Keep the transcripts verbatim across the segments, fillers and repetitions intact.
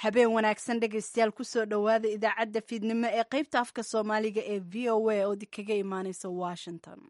Habeen wanaagsan dhegaystayaal, kusoo dhowaada idaacadda fiidnimo ee qaybta afka Soomaaliga ee V O A oo kaga imaaneysa Washington.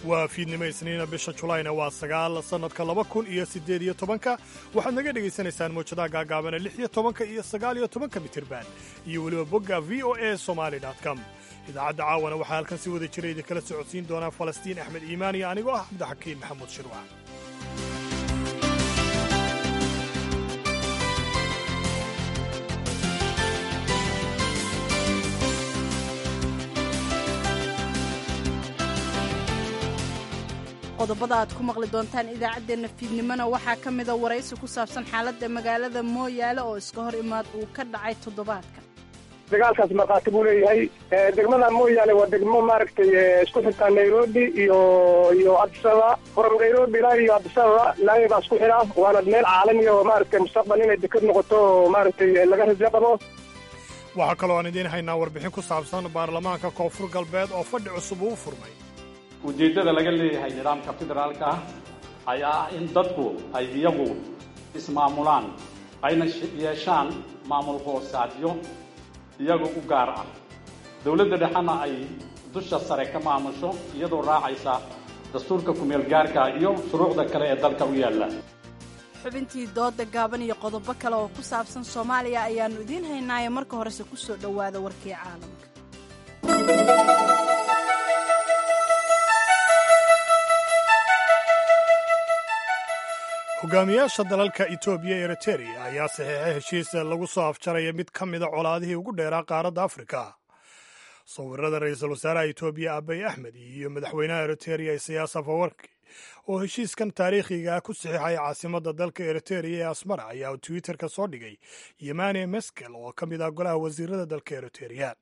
Waa fiidnimo Isniina, bisha Julayna waa sagaal, sannadka laba kun iyo siddeed iyo tobanka. Waxaad naga dhegaysanaysaan mawjadaha gaagaabana lix iyo tobanka iyo sagaal iyo tobanka mitirban iyo weliba bogga V O A Somali com. Idaacadda caawana waxaa halkan si wada jira idinkala socodsiin doonaa Falastiin Axmed Iimaan iyo anigoo ah Cabdixakiin Maxamuud Shirwac. Qodobada aad ku maqli doontaan idaacaddeenna fiidnimona waxaa ka mida waraysi ku saabsan xaaladda magaalada Mooyaale oo iska hor imaad uu ka dhacay toddobaadka. Dagaalkaas markhaati buu leeyahay. Degmada Mooyaale waa degmo maaragtay isku xirtaa Nairobi iyo iyo Addis Ababa. From Nairobi ilaa iyo Addis Ababa laami baa isku xidha, waana meel caalami oo maaragtay mustaqbal inay dekad noqoto oo maaragtay laga rajo qabo. Waxaa kaloo aan idiin haynaa warbixin ku saabsan baarlamaanka Koonfur Galbeed oo fadhi cusub uu furmay. Ujeeddada laga leeyahay nidaamka federaalka ah ayaa ah in dadku ay iyagu ismaamulaan, ayna yeeshaan maamul hoosaadyo iyaga u gaar ah, dowladda dhexena ay dusha sare ka maamusho iyadoo raacaysa dastuurka kumeel gaarka iyo shuruucda kale ee dalka u yaalla. Xubintii dooda gaaban iyo qodobo kale oo ku saabsan Soomaaliya ayaannu idiin haynaaye, marka horese ku soo dhowaada warkii caalamka. Hogaamiyaasha dalalka Etoobiya iyo Eritereya ayaa saxiixay heshiis lagu soo afjaraya mid ka mida colaadihii ugu dheeraa qaaradda Afrika. Sawirada ra-iisul wasaaraha Etoobiya Abiy Axmed iyo madaxweynaha Eritereya Isayaas Afawarki oo heshiiskan taariikhiga ah ku saxiixay caasimadda dalka Eritereya ee Asmara ayaa Twitterka soo dhigay Yemane Meskel oo ka mid ah golaha wasiirada dalka Eritereya.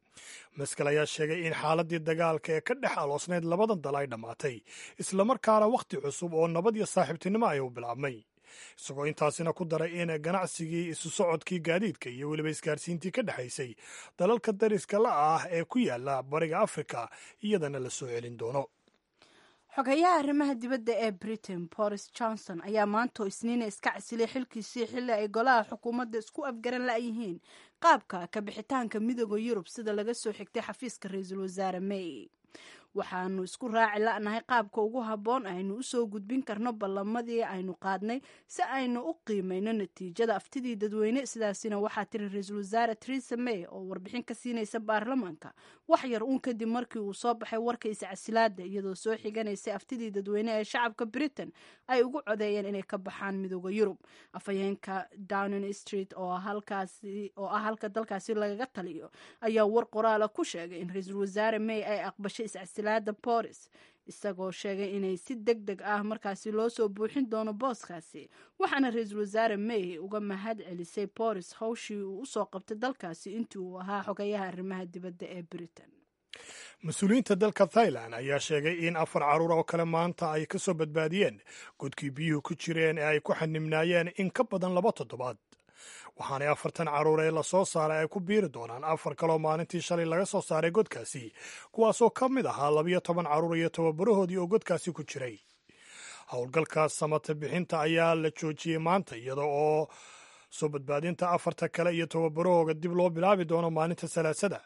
Meskel ayaa sheegay in xaaladii dagaalka ee ka dhex aloosnayd labadan dal ay dhammaatay, islamarkaana wakhti cusub oo nabad iyo saaxiibtinimo ay u bilaabmay, isagoo intaasina ku daray in ganacsigii, isu socodkii gaadiidka iyo weliba isgaarsiintii ka dhexaysay dalalka dariska la ah ee ku yaala bariga Afrika iyadana la soo celin doono. Xogayaha arrimaha dibadda ee Britain Boris Johnson ayaa maantoo Isniina iska casilay xilkiisii, xilli ay golaha xukuumadda isku afgaran la'yihiin qaabka ka bixitaanka Midooda Yurub, sida laga soo xigtay xafiiska ra-iisul wasaare May. "Waxaanu isku raaci la'nahay qaabka ugu habboon aynu usoo gudbin karno ballamadii aynu qaadnay si aynu u qiimayno natiijada aftidii dadweyne," sidaasina waxaa tiri ra-iisul wasaare Theresa May oo warbixin ka siinaysa baarlamaanka wax yar uun kadib markii uu soo baxay warka iscasilaada, iyadoo soo xiganaysay aftidii dadweyne ee shacabka Britain ay ugu codeeyeen inay ka baxaan Midooda Yurub. Afhayeenka Downing Street oo halkaasi oo ah halka dalkaasi lagaga taliyo ayaa war qoraala ku sheegay in ra-iisul wasaare May ay aqbashay iscasilaada Boris, isagoo sheegay inay si deg deg ah markaasi loo soo buuxin doono booskaasi. Waxaana ra-iisul wasaare May uga mahad celisay Boris howshii uu usoo qabtay dalkaasi intii uu ahaa xogayaha arrimaha dibadda ee Britain. Mas-uuliyiinta dalka Thailand ayaa sheegay in afar carruur oo kale maanta ay ka soo badbaadiyeen godkii biyuhu ku jireen ee ay ku xanibnaayeen in ka badan laba toddobaad, waxaanay afartan carruur ee lasoo saaray ay ku biiri doonaan afar kaloo maalintii shalay laga soo saaray godkaasi, kuwaasoo ka mid ahaa labiyo toban carruur iyo tababarahoodii oo godkaasi ku jiray. Howlgalka samata bixinta ayaa la joojiyey maanta, iyada oo soo badbaadinta afarta kale iyo tababarahooga dib loo bilaabi doono maalinta Salaasada.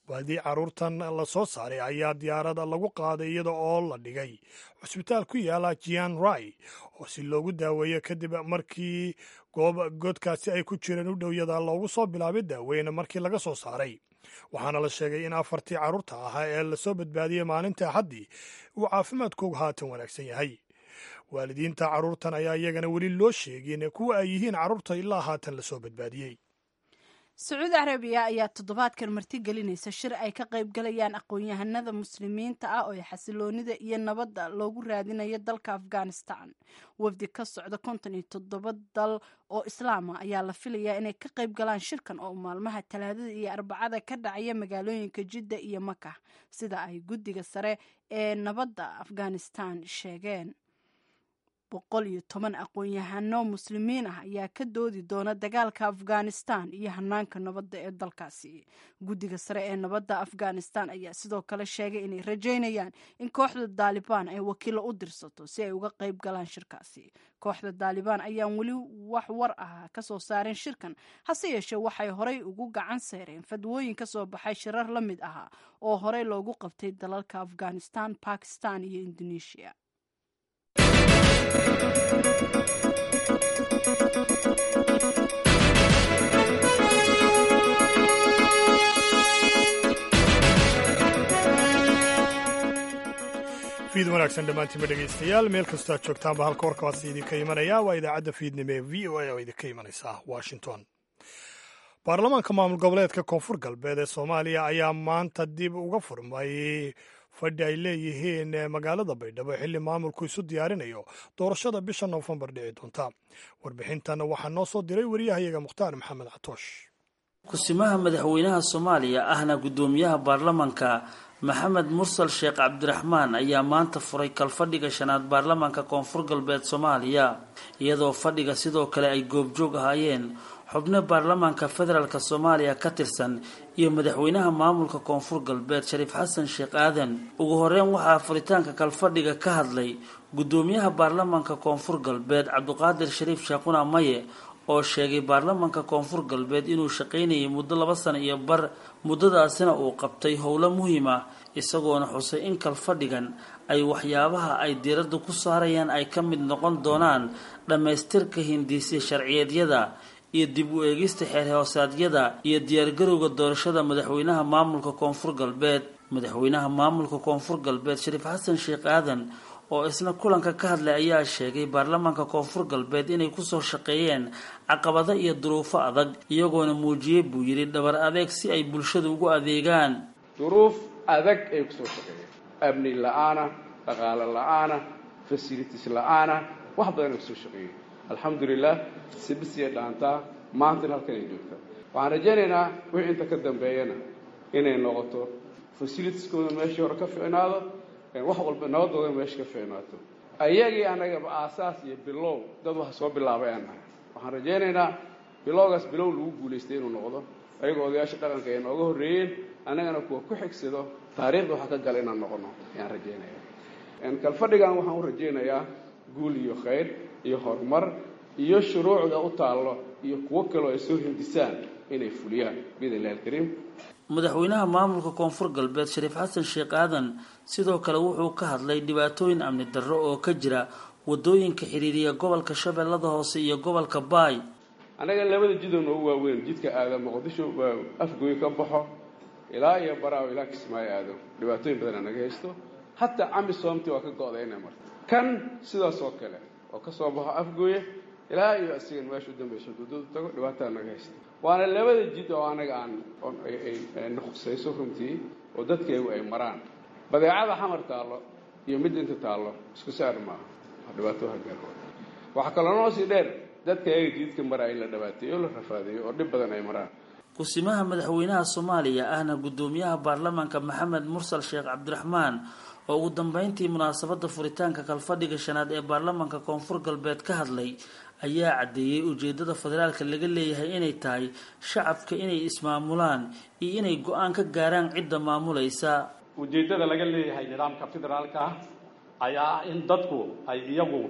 Baadii carruurtan la soo saaray ayaa diyaarada lagu qaaday iyada oo la dhigay cusbitaal ku yaala Jian Rai oo si loogu daaweeyo, kadib markii goob godkaasi ay ku jireen u dhowyada loogu soo bilaabay daaweyn markii laga soo saaray. Waxaana la sheegay in afartii carruurta ahaa ee lasoo badbaadiyey maalinta Axaddii uu caafimaadkoogu haatan wanaagsan yahay. Waalidiinta carruurtan ayaa iyagana weli loo sheegin kuwa ay yihiin carruurta ilaa haatan lasoo badbaadiyey. Sacuudi Carabiya ayaa toddobaadkan martigelinaysa shir ay ka qaybgalayaan aqoon-yahanada Muslimiinta ah oo xasiloonida iyo nabadda loogu raadinayo dalka Afghanistan. Wafdi ka socda konton iyo toddoba dal oo Islaama ayaa la filayaa inay ka qayb galaan shirkan oo maalmaha Talaadada iyo Arbacada ka dhacaya magaalooyinka Jidda iyo Maka, sida ay guddiga sare ee nabadda Afghanistan sheegeen. Boqol iyo toban aqoon-yahano muslimiin ah ayaa ka doodi doona dagaalka Afghanistan iyo hanaanka nabadda ee dalkaasi. Guddiga sare ee nabadda Afghanistan ayaa sidoo kale sheegay inay rajaynayaan in kooxda Daalibaan ay wakiilo u dirsato si ay uga qayb galaan shirkaasi. Kooxda Daalibaan ayaan weli wax war ah ka soo saareen shirkan, hase yeeshee waxay horey ugu gacan seereen fadwooyin ka soo baxay shirar la mid ahaa oo horey loogu qabtay dalalka Afghanistan, Bakistan iyo Indonesia. Fiid wanaagsan dhammaantiinba dhegaystayaal, meel kastoo aad joogtaanba, halka warkaasi idinka imanaya waa idaacadda fiidnimo ee V O A oo idinka imanaysa Washington. Baarlamaanka maamul goboleedka Koonfur Galbeed ee Soomaaliya ayaa maanta dib uga furmay fadhi ay leeyihiin magaalada Baydhabo, xilli maamulku isu diyaarinayo doorashada bisha Noofembar dhici doonta. Warbixintan waxaa noo soo diray wariyahayaga Mukhtaar Maxamed Catoosh. Kusimaha madaxweynaha Soomaaliya ahna guddoomiyaha baarlamanka Maxamed Mursal Sheekh Cabdiraxmaan ayaa maanta furay kalfadhiga shanaad baarlamaanka Koonfur Galbeed Soomaaliya, iyadoo fadhiga sidoo kale ay goobjoog ahaayeen xubno baarlamaanka federaalk Soomaaliya ka tirsan iyo madaxweynaha maamulka Koonfur Galbeed Shariif Xasan Sheekh Aadan. Ugu horeyn waxaa furitaanka kalfadhiga ka hadlay guddoomiyaha baarlamaanka Koonfur Galbeed Cabdiqaadir Shariif Sheekhuna Maye, oo sheegay baarlamaanka Koonfur Galbeed inuu shaqaynayay muddo laba sano iyo bar, muddadaasina uu qabtay howlo muhiim ah, isagoona xusay in kalfadhigan ay waxyaabaha ay diiradda ku saarayaan ay ka mid noqon doonaan dhammaystirka hindiisya sharciyeedyada iyo dib u eegista xeer hoosaadyada iyo diyaargarowga doorashada madaxweynaha maamulka Koonfur Galbeed. Madaxweynaha maamulka Koonfur Galbeed Shariif Xasan Sheekh Aadan oo isna kulanka ka hadlay ayaa sheegay baarlamaanka Koonfur Galbeed inay kusoo shaqeeyeen caqabado iyo duruufo adag, iyagoona muujiyey buu yidhi dhabar adeeg si ay bulshada ugu adeegaan. Duruuf adag ay kusoo shaqeeyeen, amni la-aana, dhaqaale la-aana, fasilitis la-aana, wax badan ay kusoo shaqeeyeen. Alxamdulilah, sibisiya dhaantaa maantana halkan ay joogtaa. Waxaan rajaynaynaa wixii inta ka dambeeyana inay noqoto fasilitiskooda meeshii hore ka ficnaado, wax walba nabadooda meesha ka ficnaato. Ayagii annagaba aasaas iyo bilow dad waxa soo bilaabay aan nahay. Waxaan rajaynaynaa bilowgaas bilow lagu guulaystay inuu noqdo, ayagoo odayaasha dhaqanka ay nooga horreeyeen, annagana kuwa ku xigsado taariikhda waxa ka gala inaan noqono ayaan rajaynaya. Kalfadhigan waxaan u rajaynayaa guul iyo khayr iyo horumar iyo shuruucda u taallo iyo kuwo kaloo ay soo hindisaan inay fuliyaan biidn illahi alkariim. Madaxweynaha maamulka Koonfur Galbeed Shariif Xasan Sheekh Aadan sidoo kale wuxuu ka hadlay dhibaatooyin amni darro oo ka jira wadooyinka xiriiriya gobolka Shabeellada Hoose iyo gobolka Baay. Annaga labada jidoo noogu waaweyn, jidka aada Muqdisho waa Afgoy ka baxo ilaa iyo Baraaw ilaa Kismaayo aado, dhibaatooyin badan naga haysto. Hataa Camisoomti waa ka go'day inay marto. Kan sidaas oo kale oo ka soo baxo Afgooye ilaa iyo asigan meesha u dambayso xuduudadu tago, dhibaataa naga haysta. Waana labada jid oo anaga aan na khusayso runtii, oo dadkeegu ay maraan. Badeecada Xamar taallo iyo mid inta taallo isku saar maaha, dhibaato hagaarwa. Waxaa kaloo noo sii dheer dadka ayaga jididka maraya in la dhibaateeyo, la rafaadeeyo oo dhib badan ay maraan. Kusimaha madaxweynaha Soomaaliya ahna guddoomiyaha baarlamaanka Maxamed Mursal Sheekh Cabdiraxmaan oo ugu dambeyntii munaasabada furitaanka kalfadhiga shanaad ee baarlamaanka Koonfur Galbeed ka hadlay ayaa caddeeyey ujeedada federaalka laga leeyahay inay tahay shacabka inay ismaamulaan iyo inay go-aan ka gaaraan cidda maamulaysa. Ujeeddada laga leeyahay nidaamka federaalka ah ayaa ah in dadku ay iyagu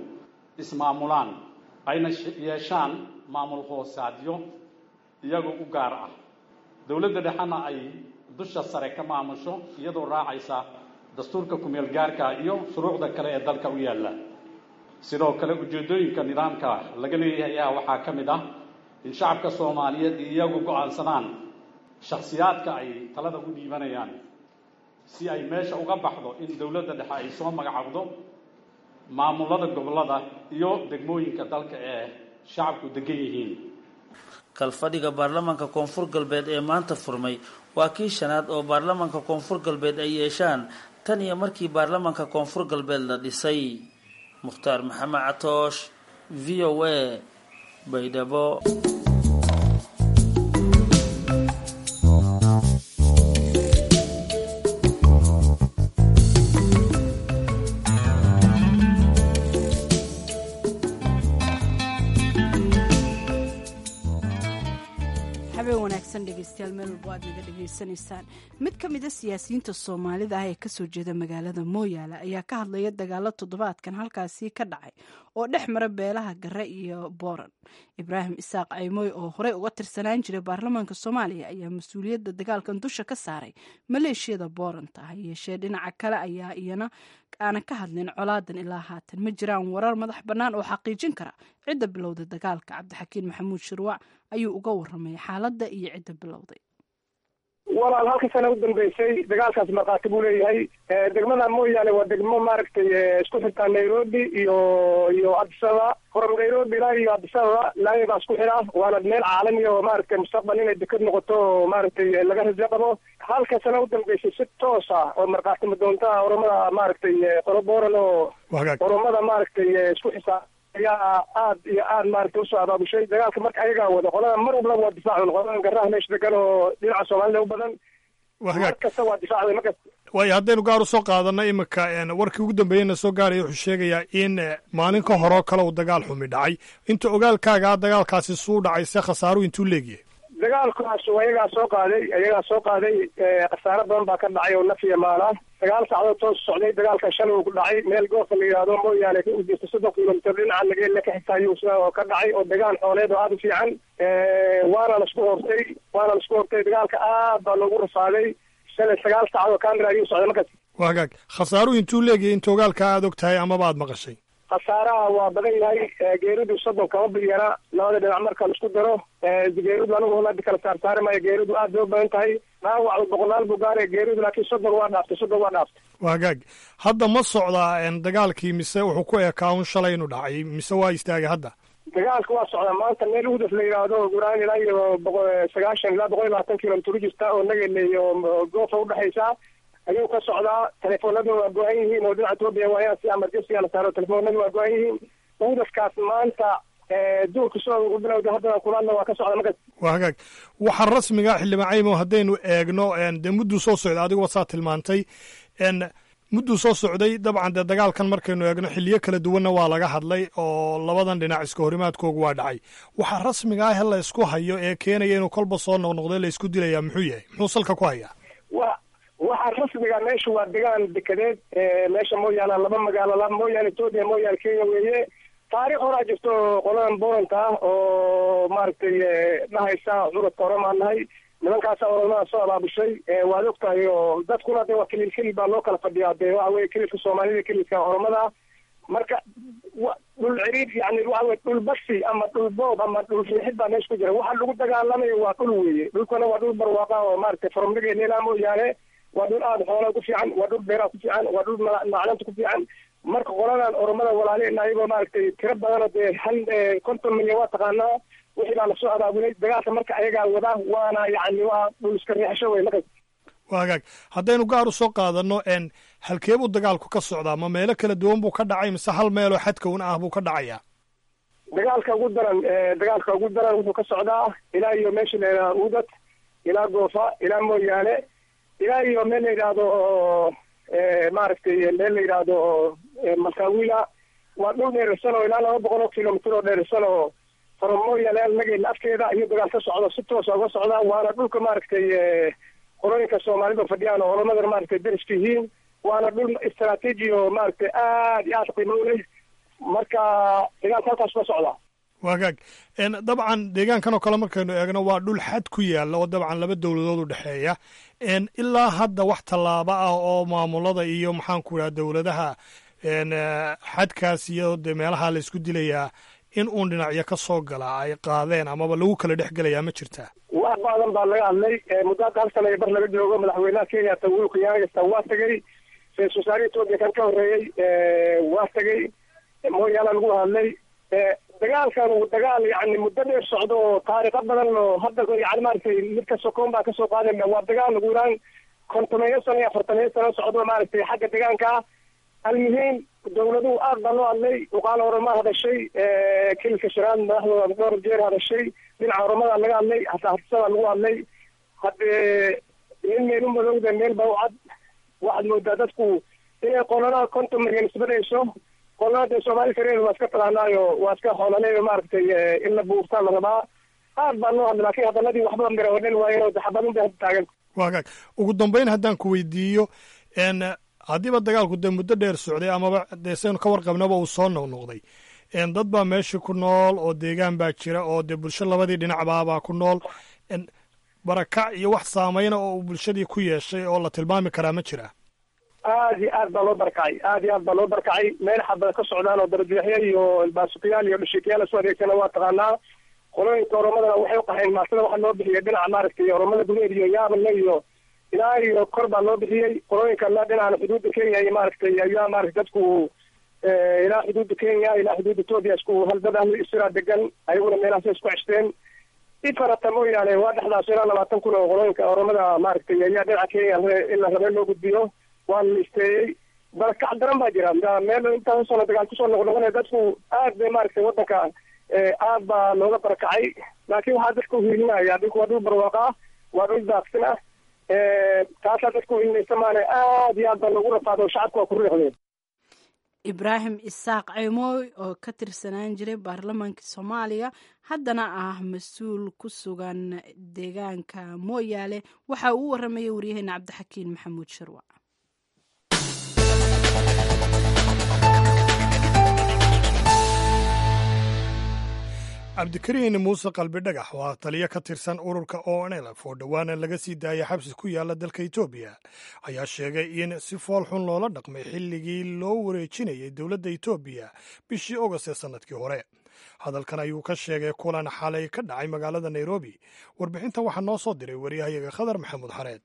ismaamulaan, ayna yeeshaan maamul hoosaadyo iyagu u gaar ah, dowladda dhexena ay dusha sare ka maamusho iyadoo raacaysa dastuurka kumeel gaarka iyo shuruucda kale ee dalka u yaalla. Sidoo kale ujeeddooyinka nidaamka laga leeyahay ayaa waxaa ka mid ah in shacabka Soomaaliyeed iyagu go'aansadaan shakhsiyaadka ay talada u dhiibanayaan, si ay meesha uga baxdo in dowladda dhexe ay soo magacowdo maamulada gobollada iyo degmooyinka dalka ee shacabku degan yihiin. Kalfadhiga baarlamaanka Koonfur Galbeed ee maanta furmay waa kii shanaad oo baarlamaanka Koonfur Galbeed ay yeeshaan tan iyo markii baarlamaanka Koonfur Galbeed la dhisay. Mukhtaar Maxamed Catoosh, V O A, Baydhabo. Habeen wanaagsan dhegeystayaal, meel walbo aad naga dhegeysanaysaan. Mid ka mida siyaasiyiinta Soomaalida ah ee kasoo jeeda magaalada Mooyaale ayaa ka hadlaya dagaalo toddobaadkan halkaasi ka dhacay oo dhex mara beelaha Gare iyo Booran. Ibraahim Isaaq Caymoy oo horey uga tirsanaan jiray baarlamaanka Soomaaliya ayaa mas-uuliyadda dagaalkan dusha ka saaray maleeshiyada Booranta. Ha yeeshee dhinaca kale ayaa iyana aanan ka hadlin colaadan ilaa haatan. Ma jiraan warar madax bannaan oo xaqiijin kara cidda bilowday dagaalka. Cabdixakiin Maxamuud Shirwac ayuu uga waramay xaaladda iyo cidda bilowday. Walaal, halka sana u dambeysay dagaalkaas markhaati buu leeyahay. Degmada Mooyaale waa degmo maaragtay isku xirtaa Nairobi iyo iyo Addis Ababa. From Nairobi ilaa iyo Addis Ababa laami baa isku xira, waana meel caalami oo maaragtay mustaqbal inay deked noqoto oo maaragtay laga rajo qabo. Halka sana u dambeysay si toos ah oo markhaati madoonta Oromada maaragtay qolo Booran oo Oromada maaragtay isku xisaa ayaa aad iyo aad maaragtay usoo abaabushay dagaalka. Marka ayagaa wada qolada mar walba waa difaacun qoladan Garaha meesha degan oo dhinaca Soomaalida u badan, mar kasta waa difaacday markas. Waayo, haddaynu gaar usoo qaadano iminka, warkii ugu dambeeyeyna soo gaaraya wuxuu sheegayaa in maalin ka horoo kale uu dagaal xumi dhacay. Inta ogaalkaagaa dagaalkaasi suu dhacay se khasaaruhu intuu leegyahay? Dagaalkaas ayagaa soo qaaday, ayagaa soo qaaday. Khasaaro badan baa ka dhacay oo naf iyo maal ah. Sagaal saacadood toos socday dagaalka. Shalay uu ku dhacay meel Goofa la yidhaahdo, Mooyaale u jirta soddon kilomitir dhinaca Nageelle ka xigta ayuu oo ka dhacay, oo degaan xooleed oo aada u fiican. Waana laisku hortay, waana laisku hortay. Dagaalka aad baa loogu rafaaday shalay. Sagaal saacadood camera ayuu socday markaas. Waa hagaag. Khasaaruhu intuu leegyahay inta ogaalka aada og tahay amaba aada maqashay? Khasaaraha waa badan yahay. Geeridu soddon kama bilyara labada dhinac marka laisku daro. Geeridu anigu hada kala saarsaari maayo, geeridu aad bay u badan tahay. Dhaawac boqolaal buu gaaraya geeridu, laakiin soddon waa dhaaftay, soddon waa dhaaftay. Waa hagaag. Hadda ma socdaa dagaalkii mise wuxuu ku ekaa un shalay inuu dhacay mise waa istaagay hadda? Dagaalka waa socdaa. Maanta meel Udaf la yidhaahdo, guraan ilaa iyo boqo sagaashan ilaa boqol iyo labaatan kilomitir u jirta oo Nagele iyo Goofa udhexaysa ayuu ka socdaa. Telefoonadu waa go-an yihiin oo dhinaca Etoobiya waayaan si emergency la saaro, telefoonadu waa go-an yihiin. Udafkaas maanta duurka soo ugu bilowda, haddana kulaadna waa ka socda markaas. Waa hagaag. Waxaa rasmiga, xildhibaan Caymo, haddaynu eegno dee mudduu soo socday, adiguba saa tilmaantay mudduu soo socday. Dabcan dee dagaalkan markaynu eegno xilliyo kala duwanna waa laga hadlay oo labadan dhinac iska horimaadkoogu waa dhacay. Waxaa rasmiga ah la isku hayo ee keenaya inuu kolba soo noqnoqday la isku dilayaa muxuu yahay? Muxuu salka ku hayaa? Wa waxaa rasmiga meesha waa degaan dekedeed. Meesha Mooyaale laba magaalo, Mooyaale Etoobiya, Mooyaale Kenya weeye. Taariikh horaa jirto qoladan Booranta ah oo maaragtay dhahaysa curadka Oromaan nahay. Nimankaasa Oromada soo abaabushay, waad og tahay. Oo dadkuna de waa kilil kilil baa loo kala fadhiyaa, dee waxa weye kililka Soomaalida, kililka Oromada. Marka dhul ciriid yani waxa weye dhul basi ama dhul boob ama dhul riixid baa meesha ku jira. Waxa lagu dagaalamayo waa dhul weeye. Dhulkuna waa dhul barwaaqa oo maaragtay from Nageelle ilaa Mooyaale waa dhul aada xoolaa ku fiican, waa dhul beeraha ku fiican, waa dhul macdanta ku fiican. Marka qoladan Oromada walaalena ayagoo maaragtay tiro badanoo dee hal konton milyan waa taqaanaa, wixii baa lasoo abaabulay dagaalka. Marka ayagaa wada, waana yacni waa dhul iska riixasho wey markas. Waa hagaag. Haddaynu gaar usoo qaadano n halkee buu dagaalku ka socdaa? Ma meelo kala duwan buu ka dhacay mise hal meeloo xadka un ah buu ka dhacayaa? Dagaalka ugu daran, dagaalka ugu daran wuxuu ka socdaa ilaa iyo meesha la yidhahdo Uudad, ilaa Goofa, ilaa Mooyaale, ilaa iyo meel la yidhaahdo maaragtay meel la yidhaahdo Malkaawila. Waa dhul dheerarsan oo ilaa laba boqol oo kilomitir oo dheerarsan oo from Mooyaale Nageelle afkeeda ayuu dagaal ka socdo, si toosa uga socdaa. Waana dhulka maaragtay qolooyinka Soomaalida fadhiyaan oo Oromadana maaragtay deriska yihiin. Waana dhul istaraatiiji oo maaragtay aad iyo aad qiimo u leh. Marka dagaalka halkaas ka socdaa. Waa hagaag. Dabcan deegaankan oo kale markaynu eegno waa dhul xad ku yaalla oo dabcan laba dowladood u dhexeeya. Ilaa hadda wax tallaabo ah oo maamulada iyo maxaan ku idhaha dowladaha xadkaas iyo dee meelaha la isku dilayaa in uun dhinacyo ka soo gala ay qaadeen amaba lagu kala dhex gelayaa ma jirtaa? Wax badan baa laga hadlay. Muddo hadda hal sana iyo bar laga joogo madaxweynaha Kenya Uhuru Kenyatta waa tegey, ra-iisul wasaaraha Etoobiya kan ka horreeyey waa tegey, Mooyaala lagu hadlay. Dagaalkan uu dagaal yacni muddo dheer socdo oo taariikho badan oo hadda yani maaragtay mid ka sokoon baa kasoo qaadayna. Waa dagaal ugu yaraan kontomeeyo sano iyo afartameeyo sano socdo maaragtay xagga deegaanka ah. Almuhiim, dowladuhu aad baa loo hadlay. Uqaal Oroma hadashay, kililka shanaad madaxdooda dhowr jeer hadashay, dhinaca Oromada laga hadlay, hataa Hartisada lagu hadlay. Haddee nin meel u madowda meel baa u cad. Waxaad moodaa dadku inay qolada konton milyan isbadayso, qolada dee Soomaali kareer waa iska taqaanaayo, waa iska xoolaleeyo maaragtay in la buurtaa la rabaa. Aad baa loo hadlay, laakiin hadaladii waxba mira hodhan waayeen oo xabadun bay hadda taagan. Waagaag, ugu dambeyn haddaan ku weydiiyo, n haddiiba dagaalku dee muddo dheer socday amaba dee saynu ka warqabnaba uu soo noqnoqday, dad baa meesha ku nool oo deegaan baa jira oo dee bulsho labadii dhinacbaabaa ku nool, barakac iyo wax saameyna oo uu bulshadii ku yeeshay oo la tilmaami karaa ma jiraa? Aad iyo aad baa loo barakacay, aad iyo aad baa loo barakacay. Meel xabada ka socdaan oo darajeexyo iyo baasuqyaal iyo dhashiikayaal isu adeegsana waa taqaanaa. Qolooyinka oromadana waxay uqaxeen maasada waxaa loo bixiyay dhinaca maaragtay oromada gudaheed iyo yaabanle iyo ilaa iyo kor baa loo bixiyey. Qolooyinka la dhinacana xuduudda Kenya iyo maaragtay ayaa maaragtay dadku ilaa xuduudda Kenya ilaa xuduudda Etoobiya isku haldad ahlu isiraa degan, ayaguna meelahaasay isku ceshteen. Ifarata mooyaane waa dhexdaas ilaa labaatan kun oo qolooyinka oromada maaragtay ayaa dhinaca Kenya in la rabay loo gudbiyo, waa la isteeyey. Barakac daran baa jira meel intaas sano dagaal kusoo noqnoqonaya, dadku aad bay maaragtay waddanka aad baa looga barakacay. Laakiin waxaa dadka uhiilinaya dhulku waa dhul barwaaqa ah, waa dhul daaqsin ah, taasaa dadka uhiilinaysa maane aad iyo aad baa loogu rafaado, shacabka waa ku riixdeen. Ibraahim Isaaq Ceymoy oo ka tirsanaan jiray baarlamaanka Soomaaliya, haddana ah mas-uul ku sugan deegaanka Mooyaale, waxa uu u waramayay waryaheena Cabdixakiin Maxamuud Sharwac. Cabdikariin Muuse Qalbi Dhagax waa taliyo ka tirsan ururka O N L F oo dhowaana laga sii daayay xabsi ku yaala dalka Etoobiya, ayaa sheegay in si fool xun loola dhaqmay xilligii loo wareejinayay dowladda Etoobiya bishii Ogost ee sannadkii hore. Hadalkan ayuu ka sheegay kulan xalay ka dhacay magaalada Nairobi. Warbixintan waxaa noo soo diray wariyahayaga Khadar Maxamuud Xareed.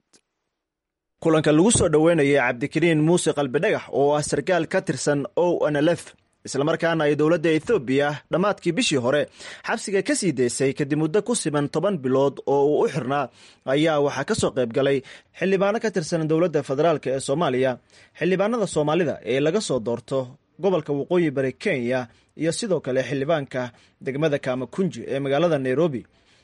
Kulanka lagu soo dhoweynayay Cabdikariin Muuse Qalbidhagax oo ah sarkaal ka tirsan O N L F, islamarkaana ay dowladda Ethoobiya dhammaadkii bishii hore xabsiga ka sii daysay kadib muddo ku siman toban bilood oo uu u xirnaa, ayaa waxaa ka soo qayb galay xildhibaano ka tirsan dowladda federaalk ee Soomaaliya, xildhibaanada Soomaalida ee laga soo doorto gobolka Waqooyi Bari Kenya, iyo sidoo kale xildhibaanka degmada Kaamakunji ee magaalada Nairobi,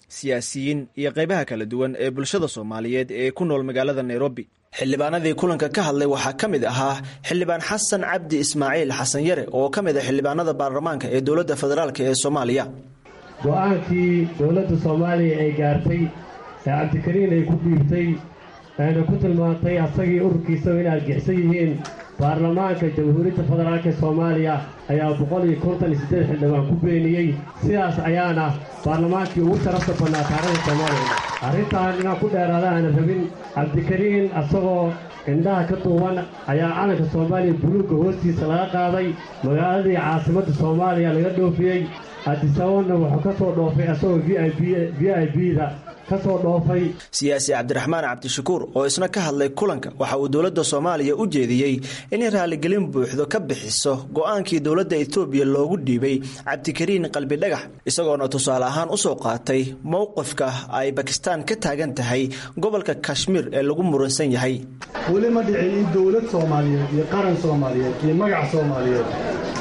siyaasiyiin iyo qaybaha kala duwan ee bulshada Soomaaliyeed ee ku nool magaalada Nairobi. Xildhibaanadii kulanka ka hadlay waxaa ka mid ahaa Xildhibaan Xasan Cabdi Ismaaciil Xasan Yare oo ka mid ah xildhibaanada baarlamaanka ee dowladda federaalk ee Soomaaliya. Go-aankii dowladda Soomaaliya ay gaartay ee Cabdikariin ay ku dhiibtay ayna ku tilmaantay asagii ururkiisaba in argixsan yihiin, baarlamaanka Jamhuuriyadda Federaalk Soomaaliya ayaa boqol iyo konton iyo siddeed xildhibaan ku beeniyey. Sidaas ayaana baarlamaankii ugu sharafta badnaa taariikhda Soomaaliya. Arrintan inaan ku dheeraada aanan rabin, Cabdikariin asagoo indhaha ka duuban ayaa calanka Soomaaliya buluugga hoostiisa laga qaaday, magaaladii caasimadda Soomaaliya laga dhoofiyey. Addis Ababana wuxuu ka soo dhoofay asagoo v i b v i b da ka soo dhoofay. Siyaasi Cabdiraxmaan Cabdishakuur oo isna ka hadlay kulanka waxa uu dowladda Soomaaliya u jeediyey inay raaligelin buuxdo ka bixiso go-aankii dowladda Etoobiya loogu dhiibay Cabdikariin Qalbidhagax, isagoona tusaale ahaan usoo qaatay mowqifka ay Bakistaan ka taagan tahay gobolka Kashmiir ee lagu muransan yahay. Weli ma dhicin in dowlad Soomaaliyeed iyo qaran Soomaaliyeed iyo magac Soomaaliyeed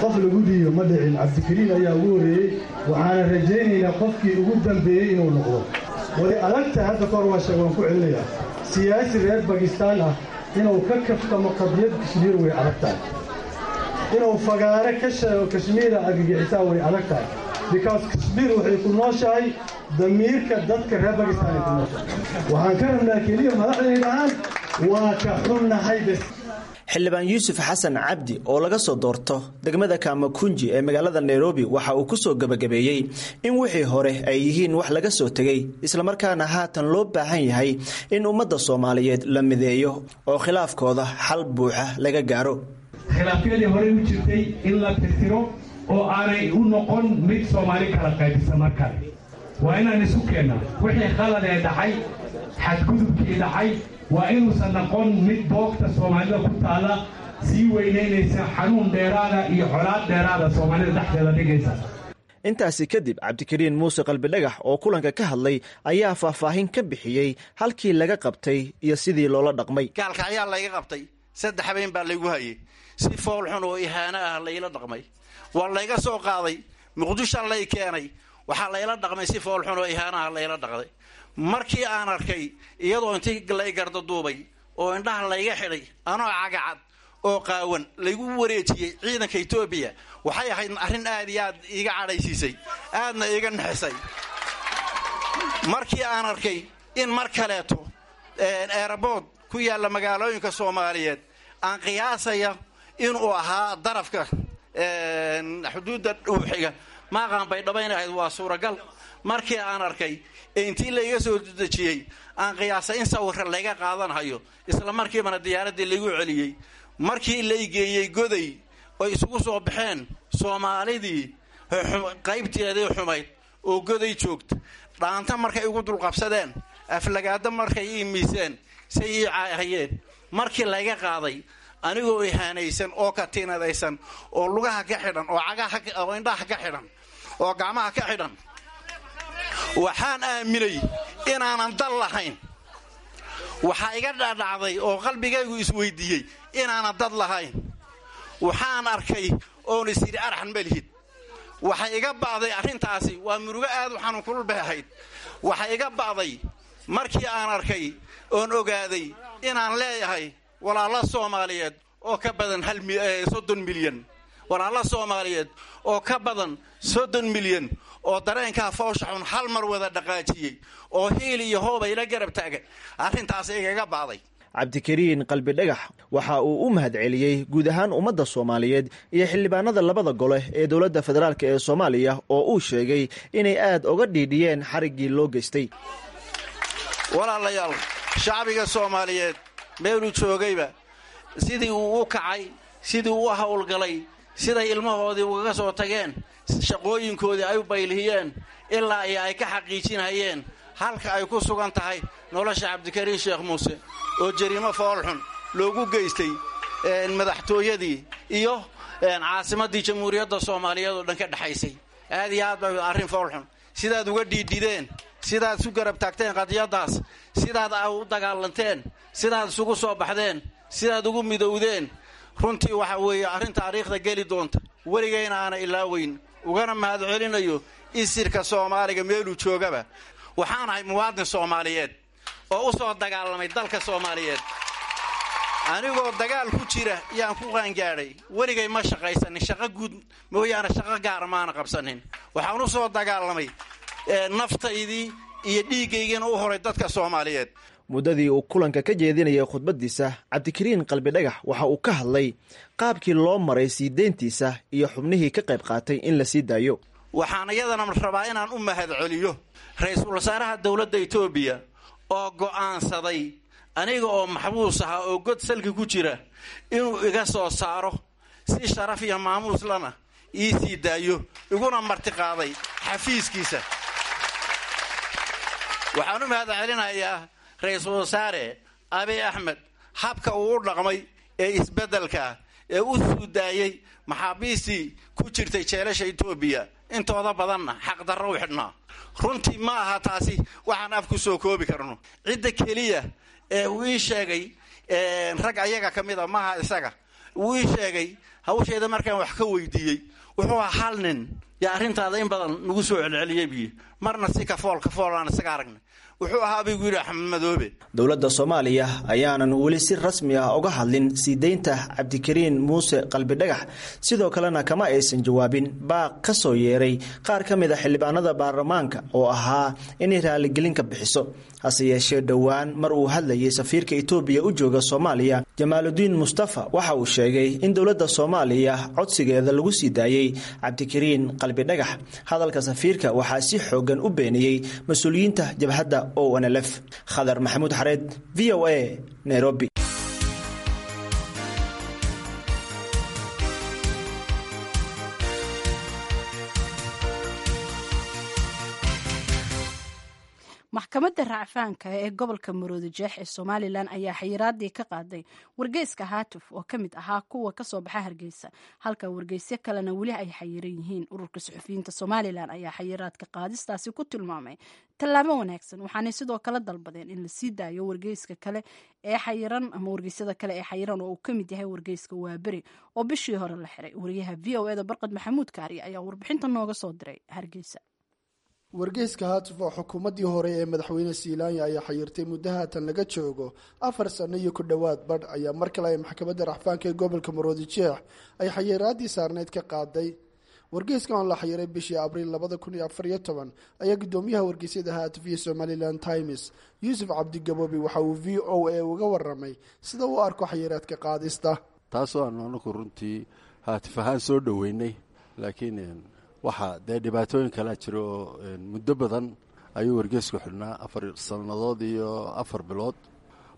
qof lagu dhiibo, ma dhicin. Cabdikariin ayaa ugu horreeyey, waxaana rajaynaynaa qofkii ugu dambeeyey inuu noqdo. Way adagtahay, hadda kahor waa sheeg, waan ku celinayaa, siyaasi reer Bakistaan ah inuu ka kaftamo qadiyad Kashmiir way adag tahay, inuu fagaare ka sheego Kashmiira argagixisaa way adag tahay, because Kashmiir waxay ku nooshahay damiirka dadka reer Bakistaan ay ku nooshahay. Waxaan ka rabnaa keliya madaxda dhahaan waa ka xunnahay bes. Xildhibaan Yuusuf Xasan Cabdi oo laga soo doorto degmada Kaamakunji ee magaalada Nairobi waxa uu ku soo gebagabeeyey in wixii hore ay yihiin wax laga soo tegey, islamarkaana haatan loo baahan yahay in ummadda Soomaaliyeed la mideeyo oo khilaafkooda xal buuxa laga gaaro. Khilaafyadii horey u jirtay in la tirtiro oo aanay u noqon mid Soomaali kala qaybisa. Mar kale waa inaan isu keennaa wixii khaladee dhacay, xadgudubkii dhacay waa inuusan noqon mid boogta Soomaalida ku taalla sii weynaynaysa, xanuun dheeraada iyo colaad dheeraada Soomaalida dhexdeeda dhigaysa. Intaasi kadib, Cabdikariin Muuse Qalbidhagax oo kulanka ka hadlay ayaa faahfaahin ka bixiyey halkii laga qabtay iyo sidii loola dhaqmay. Gaalkacyaa layga qabtay, saddex habeen baa laygu hayay, si fool xun oo ihaano ah layla dhaqmay. Waa layga soo qaaday, Muqdisho lay keenay, waxaa layla dhaqmay si fool xun oo ihaano ah layla dhaqday. Markii aan arkay iyadoo intii lay gardaduubay oo indhaha layga xidhay, anoo cagacad oo qaawan laygu wareejiyey ciidanka Etoobiya, waxay ahayd arrin aad iyo aad iiga cadhaysiisay, aadna iiga naxisay. Markii aan arkay in mar kaleeto eerabood ku yaalla magaalooyinka Soomaaliyeed aan qiyaasaya inuu ahaa darafka xuduudda dhuuxiga maaqaan Baydhabo inay ahayd waa suuragal. Markii aan arkay ee intii layga soo dejiyey aan qiyaasay in sawirra layga qaadanhayo, isla markiibana diyaaraddii laygu celiyey. Markii laygeeyey Goday oy isugu soo baxeen Soomaalidii qaybteedii xumayd oo Goday joogta, dhaanta markay igu dulqabsadeen, aflagaado markay ii miiseen, say ii caahayeen, markii layga qaaday anigoo ihaanaysan oo katiinadaysan oo lugaha ka xidhan oo cagaha oo indhaha ka xidhan oo gacmaha ka xidhan, waxaan aaminay inaanan dal lahayn. Waxaa iga dhadhacday oo qalbigaygu isweydiiyey inaanan dad lahayn. Waxaan arkay oon is yidhi arxan malihid. Waxay iga ba'day arrintaasi, waa murugo aad u xanuun kulul bay ahayd. Waxay iga ba'day markii aan arkay oon ogaaday inaan leeyahay walaalo Soomaaliyeed oo ka badan soddon milyan, walaalo Soomaaliyeed oo ka badan soddon milyan oo dareenkaa foosha xun hal mar wada dhaqaajiyey oo hiil iyo hoob ayla garab taagan. Arrintaas igaga ba'day. Cabdikariin Qalbidhagax waxa uu u mahadceliyey guud ahaan ummadda Soomaaliyeed iyo xildhibaanada labada gole ee dowladda federaalk ee Soomaaliya oo uu sheegay inay aad uga dhiidhiyeen xariggii loo geystay. Walaalayaal, shacbiga Soomaaliyeed meeluu joogayba sidii uu u kacay, sidii uu u howlgalay, siday ilmahoodii ugaga soo tageen, shaqooyinkoodii ay u baylihiyeen, ilaa iyo ay ka xaqiijinayeen halka ay ku sugan tahay nolosha Cabdikariin Sheekh Muuse oo jariimo foolxun loogu geystay madaxtooyadii iyo caasimaddii Jamhuuriyadda Soomaaliyeed oo dhan ka dhexaysay. Aad iyo aad bay arrin foolxun. Sidaad uga dhiidhideen, sidaad isu garab taagteen qadiyaddaas, sidaad u dagaalanteen, sidaad isugu soo baxdeen, sidaad ugu midowdeen, runtii waxa weeye arrin taariikhda geli doonta, weligayna aana ilaaweyn. Ugana mahad celinayo isirka Soomaaliga meeluu joogaba. Waxaan ahay muwaadin Soomaaliyeed oo u soo dagaalamay dalka Soomaaliyeed. Anigoo dagaal ku jira yaan ku qaangaadhay. Weligay ma shaqaysanin, shaqo guud mooyaane shaqo gaara maana qabsanin. Waxaan u soo dagaalamay naftaydii iyo dhiiggaygiina u horay dadka Soomaaliyeed. Muddadii uu kulanka ka jeedinayay khudbaddiisa, Cabdikariin Qalbidhagax waxa uu ka hadlay qaabkii loo maray sii deyntiisa iyo xubnihii ka qayb qaatay in la sii daayo. Waxaan iyadana rabaa inaan u mahad celiyo ra-iisul wasaaraha dowladda Itoobiya oo go'aansaday aniga oo maxbuus aha oo god salki ku jira inuu iga soo saaro si sharaf iyo maamuus lana ii sii daayo, iguna martiqaaday xafiiskiisa. Waxaan u mahad celinayaa ra-iisul wasaare Abiy Axmed habka uu u dhaqmay ee isbeddelka ee u suudaayey maxaabiistii ku jirtay jeelasha Itoobiya, intooda badanna xaqdarro u xidhnaa. Runtii ma aha taasi waxaan af ku soo koobi karno. Cidda keliya ee uu ii sheegay rag ayaga ka mid a maaha isaga, uu ii sheegay hawsheeda markaan wax ka weydiiyey wuxuu ahaa hal nin yaa arrintaada in badan nagu soo celceliyey biyo, marna si kafool kafool aan isaga aragnay. Wuxuu ahaa buu yidhi Axmed Madoobe. Dowladda Soomaaliya ayaanan weli si rasmi ah uga hadlin sii deynta Cabdikariin Muuse Qalbidhagax, sidoo kalena kama aysan jawaabin baaq ka soo yeeray qaar ka mid a xildhibaanada baarlamaanka oo ahaa inay raaligelin ka bixiso. Hase yeeshee dhowaan mar uu hadlayay safiirka Itoobiya u jooga Soomaaliya Jamaaludiin Mustafa waxa uu sheegay in dowladda Soomaaliya codsigeeda lagu sii daayey Cabdikariin Qalbidhagax. Hadalka safiirka waxaa si xoogan u beeniyey mas-uuliyiinta jabhadda O N L F. Khadar Maxamuud Xareed, V O A, Nairobi. Maxkamadda racfaanka ee gobolka Maroodi Jeex ee Somalilan ayaa xayiraadii ka qaaday wargeyska Haatuf oo ka mid ahaa kuwa kasoo baxa Hargeysa, halka wargeysyo kalena weli ay xayiran yihiin. Ururka suxufiyiinta Somalilan ayaa xayiraadka qaadistaasi ku tilmaamay tallaabo wanaagsan, waxaanay sidoo kale dalbadeen in la sii daayo wargeyska kale ee xayiran ama wargeysyada kale ee xayiran oo uu ka mid yahay wargeyska Waaberi oo bishii hore la xiray. Wariyaha V O E da Barqad Maxamuud Kaari ayaa warbixinta nooga soo diray Hargeysa. Wargeyska Haatuf oo xukuumaddii hore ee madaxweyne Siilaanya ayaa xayirtay muddo haatan laga joogo afar sano iyo ku dhowaad badh ayaa mar kale ay maxkamadda racfaanka ee gobolka Maroodi Jeex ay xayiraadii saarneyd ka qaaday. Wargeyska oo la xayiray bishii Abriil labada kun iyo afar iyo toban ayaa guddoomiyaha wargeysyada Haatuf iyo Somaliland Times, Yuusuf Cabdigaboobi, waxa uu V O A uga waramay sida uu arko xayiraadka qaadista. Taasoo aanu anaku runtii Haatif ahaan soo dhoweynay, laakiin waxaa dee dhibaatooyin kalaa jira oo muddo badan ayuu wargeysku xidhnaa, afar sannadood iyo afar bilood.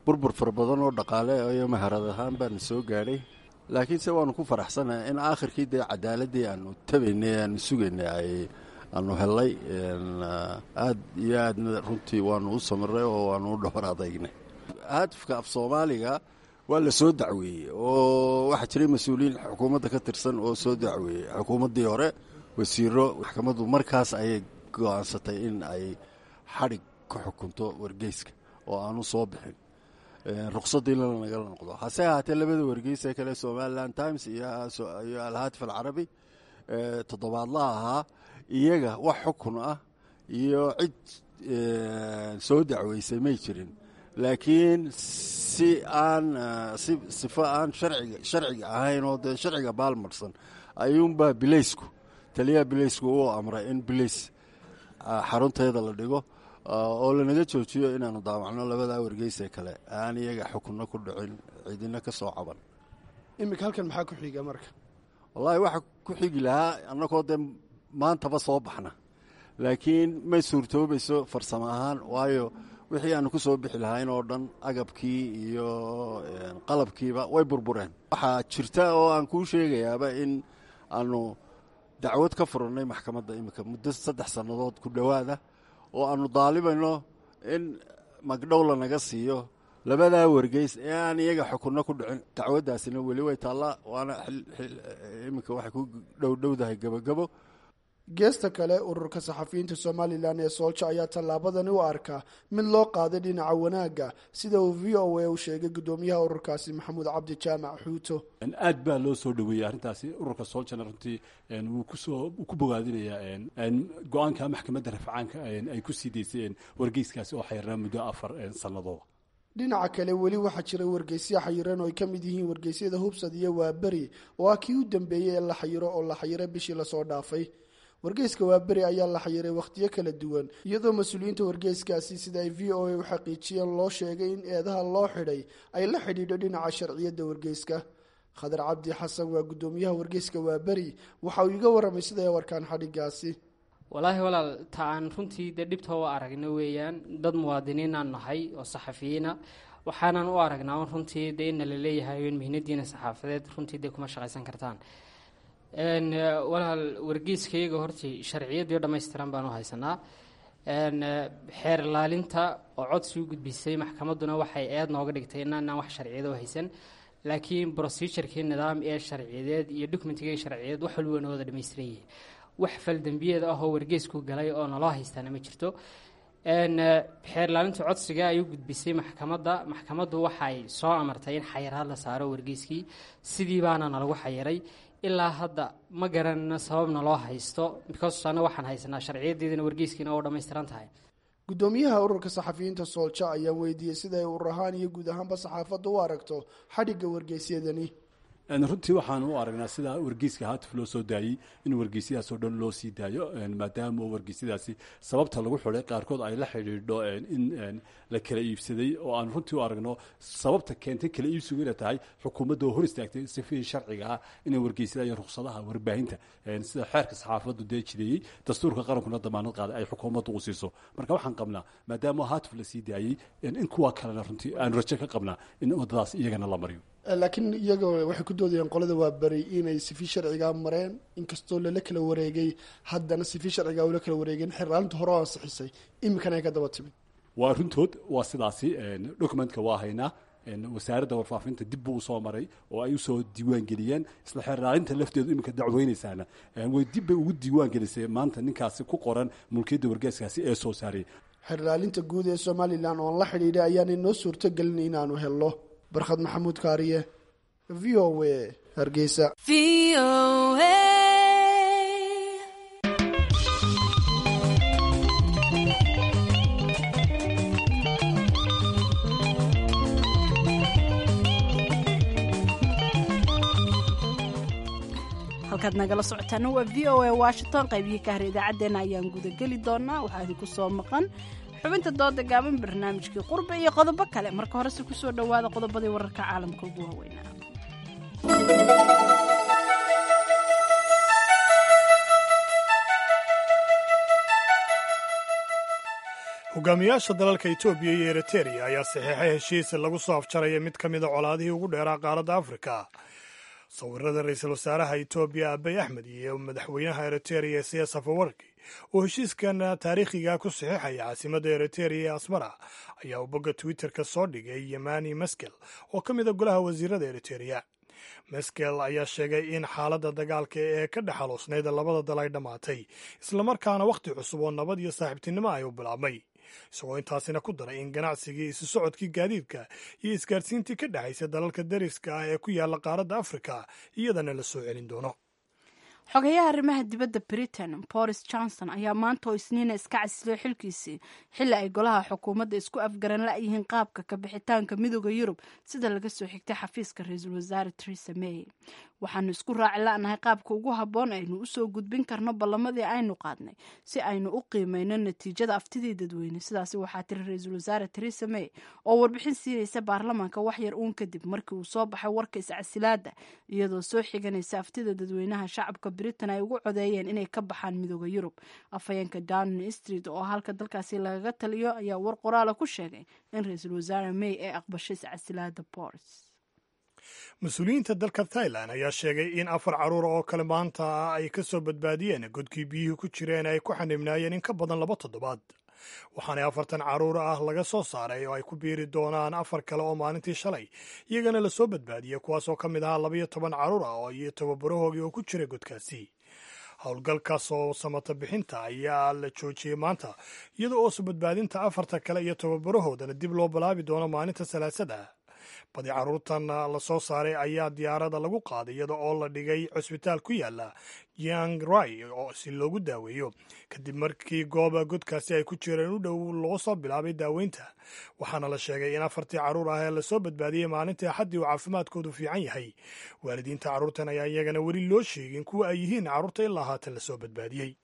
Burbur fara badan oo dhaqaale iyo maharad ahaan baana soo gaadhay, laakiinse waanu ku faraxsanahay in aakhirkii dee cadaaladii aanu tabaynay, aanu sugaynay, ay aanu helay. Aad iyo aadna runtii waanu u samiray oo waanu u dhowr adaynay. Haatifka af Soomaaliga waa la soo dacweeyey oo waxaa jiray mas-uuliyiin xukuumadda ka tirsan oo soo dacweeyey xukuumaddii hore, wasiiro. Maxkamaddu markaas ayay go-aansatay in ay xadhig ku xukunto wargeyska oo aanu soo bixin, ruqsadiina nagala noqdo. Hase ahaatee labada wargeys ee kale, Somaliland Times iyo Alhaatif Alcarabi toddobaadlaha ahaa, iyaga wax xukun ah iyo cid soo dacweysay may jirin, laakiin si aan si sifo aan sharciga sharciga ahayn oo dee sharciga baalmarsan ayuunbaa bileysku, taliyaha bileysku uu amray in bileys xarunteeda la dhigo oo lanaga joojiyo inaanu daawacno labadaa wargeysee kale aan iyaga xukunno ku dhicin, cidina ka soo caban. Iminka halkan maxaa ku xiga marka? Wallaahi waxa ku xigi lahaa annagoo dee maantaba soo baxna, laakiin may suurtoobayso farsamo ahaan, waayo wixii aanu ku soo bixi lahayn oo dhan, agabkii iyo qalabkiiba way burbureen. Waxaa jirta oo aan kuu sheegayaaba in aanu dacwad ka furannay maxkamadda iminka muddo saddex sannadood ku dhowaada, oo aanu daalibayno in magdhow lanaga siiyo labadaa wargeys ee aan iyaga xukunno ku dhicin. Dacwaddaasina weli way taallaa, waana iminka waxay ku dhowdhowdahay gabogabo. Geesta kale, ururka saxafiyiinta Somalilan ee Soolja ayaa tallaabadani u arkaa mid loo qaaday dhinaca wanaagga, sida uu V O A u sheegay guddoomiyaha ururkaasi, Maxamuud Cabdi Jaamac Xuuto. Aad baa loo soo dhoweeyey arrintaasi. Ururka Sooljana runtii wuu kusoo ku bogaadinayaa go-aanka maxkamadda rafcaanka ay ku sii daysay wargeyskaasi oo xayrnaa muddo afar sannadooda. Dhinaca kale, weli waxaa jira wargeysya xayiran oo ay ka mid yihiin wargeysyada Hubsad iyo Waaberi, oo ah kii u dambeeyey ee la xayiro oo la xayiray bishii lasoo dhaafay. Wargeyska Waaberi ayaa la xayiray wakhtiyo kala duwan, iyadoo mas-uuliyiinta wargeyskaasi, sida ay V O A u xaqiijiyeen, loo sheegay in eedaha loo xidhay ay la xidhiidho dhinaca sharciyadda wargeyska. Khadar Cabdi Xasan waa guddoomiyaha wargeyska Waaberi. Waxa uu iga warramay sida ay warkaan xadhigaasi. Walaahi walaal, ta aan runtii dee dhibta u aragno weeyaan, dad muwaadiniinaan nahay oo saxafiyiina, waxaanan u aragnaa un runtii dee inna la leeyahay in mihnadiina saxaafadeed runtii dee kuma shaqaysan kartaan. Walaal, wargeyskayaga hortii sharciyadii dhammaystiran baan u haysanaa. Xeer ilaalinta oo codsi u gudbisay maxkamadduna waxay eed nooga dhigtay inaanaan wax sharciyada u haysan, laakiin procedurekii nidaam ee sharciyadeed iyo documentigii sharciyadeed wax walba noo wada dhammaystiran yihiin. Wax faldambiyeed ah oo wargeysku galay oo naloo haystaana ma jirto. Xeer ilaalinta codsiga ayuu gudbisay maxkamadda. Maxkamaddu waxay soo amartay in xayiraad la saaro wargeyskii, sidii baana nalagu xayiray. Ilaa hadda ma garanana sababna loo haysto, because anna waxaan haysanaa sharciyadeedina, wargeyskiina oo dhammaystiran tahay. Guddoomiyaha ururka saxafiyiinta Soolja ayaan weydiiyey sida ay urur ahaan iyo guud ahaanba saxaafadda u aragto xadhigga wargeysyadani. Runtii waxaan u aragnaa sida wargeyska Haatif loo soo daayey in wargeysyadaas oo dhan loo sii daayo, maadaama wargeysyadaasi sababta lagu xidhay qaarkood ay la xidhiidho in la kala iibsaday, oo aan runtii u aragno sababta keentay kala iibsigu inay tahay xukuumadda oo hor istaagtay sifihii sharciga ah inay wargeysyada iyo ruqsadaha warbaahinta sida xeerka saxaafaddu dee jideeyey, dastuurka qarankuna damaanad qaaday, ay xukuumaddu u siiso. Marka waxaan qabnaa maadaama Haatif la sii daayey in kuwa kalena runtii aan rajo ka qabnaa in waddadaas iyagana la mariyo. Laakiin iyaga waxay ku doodayaan qolada Waaberi inay sifi sharcigaa mareen, inkastoo lala kala wareegay, haddana sifi sharcigaa ula kala wareegeen, xerlaalinta hore oo ansixisay iminkana ay ka daba timid. Waa runtood, waa sidaasi. Documentka waa haynaa, wasaaradda warfaafinta dib buu usoo maray oo ay usoo diiwaan geliyeen. Isla xeerlaalinta lafteedu iminka dacweynaysaana way dib bay ugu diiwaan gelisay maanta ninkaasi ku qoran mulkiyadda wargeyskaasi ee soo saarayay. Xerlaalinta guud ee Somalilan oon la xidhiidhay ayaanay noo suurtogelin inaanu helno. Barkhad Maxamuud Kaariye, V O A, Hargeysa. Halkaad nagala socotaana waa V O A Washington. Qaybihii ka hara idaacaddeenna ayaan gudageli doonaa. Waxaa idinku soo maqan xubinta dooda gaaban, barnaamijkii qurbe iyo qodobo kale. Marka horese kusoo dhowaada qodobadii wararka caalamka ugu waaweynaa. Hogaamiyaasha dalalka Etoobiya iyo Eritereya ayaa saxiixay heshiis lagu soo afjaraya mid ka mida colaadihii ugu dheeraa qaaradda Afrika. Sawirada ra-iisul wasaaraha Etoobiya Abiy Axmed iyo madaxweynaha Eritereya Siyaas Afwerki oo heshiiskan taariikhiga ku saxiixaya caasimadda Eritereya ee Asmara ayaa uu bogga Twitterka soo dhigay Yemani Meskel oo ka mida golaha wasiirada Eritereya. Meskel ayaa sheegay in xaaladda dagaalka ee ka dhex xaloosnayd labada dal ay dhammaatay, islamarkaana wakhti cusub oo nabad iyo saaxiibtinimo ay u bilaabmay, isagoo intaasina ku daray in ganacsigii, isu socodkii gaadiidka iyo isgaarsiintii ka dhexaysa dalalka dariska ah ee ku yaalla qaaradda Afrika iyadana la soo celin doono. Xogayaha arrimaha dibadda Britain Boris Johnson ayaa maanta oo Isniina iska casilay xilkiisii, xilli ay golaha xukuumadda isku afgaran la'yihiin qaabka ka bixitaanka Midooda Yurub, sida laga soo xigtay xafiiska ra-iisul wasaare Theresa May. Waxaanu isku raaci la'nahay qaabka ugu habboon aynu usoo gudbin karno ballamadii aynu qaadnay si aynu u qiimeyno natiijada aftidii dadweyne, sidaasi waxaa tiri ra-iisul wasaare Theresa May oo warbixin siinaysa baarlamaanka wax yar uun kadib markii uu soo baxay warka iscasilaada, iyadoo soo xiganaysa aftida dadweynaha shacabka Britain ay ugu codeeyeen inay ka baxaan Midooda Yurub. Afhayeenka Downing Street oo halka dalkaasi lagaga taliyo ayaa war qoraala ku sheegay in ra-iisul wasaare May ay aqbashay iscasilaada Boris. Mas-uuliyiinta dalka Thailand ayaa sheegay in afar carruur oo kale maanta ay ka soo badbaadiyeen godkii biyuhu ku jireen ay ku xanibnaayeen in ka badan laba toddobaad, waxaana afartan carruur ah laga soo saaray oo ay ku biiri doonaan afar kale oo maalintii shalay iyagana lasoo badbaadiyey, kuwaasoo ka mid ahaa labaiyo toban carruur ah oo iyo tababarahoogii oo ku jiray godkaasi. Howlgalkaas oo samata bixinta ayaa la joojiyey maanta, iyada oo soo badbaadinta afarta kale iyo tababarahoodana dib loo bilaabi doono maalinta Salaasada. Badi carruurtan la soo saaray ayaa diyaarada lagu qaaday iyada oo la dhigay cusbitaal ku yaala Chiang Rai oo si loogu daaweeyo, kadib markii gooba godkaasi ay ku jireen u dhow loo soo bilaabay daaweynta. Waxaana la sheegay in afartii carruur ah ee lasoo badbaadiyey maalintii Axaddii uu caafimaadkoodu fiican yahay. Waalidiinta carruurtan ayaa iyagana weli loo sheegin kuwa ay yihiin carruurta ilaa haatan lasoo badbaadiyey.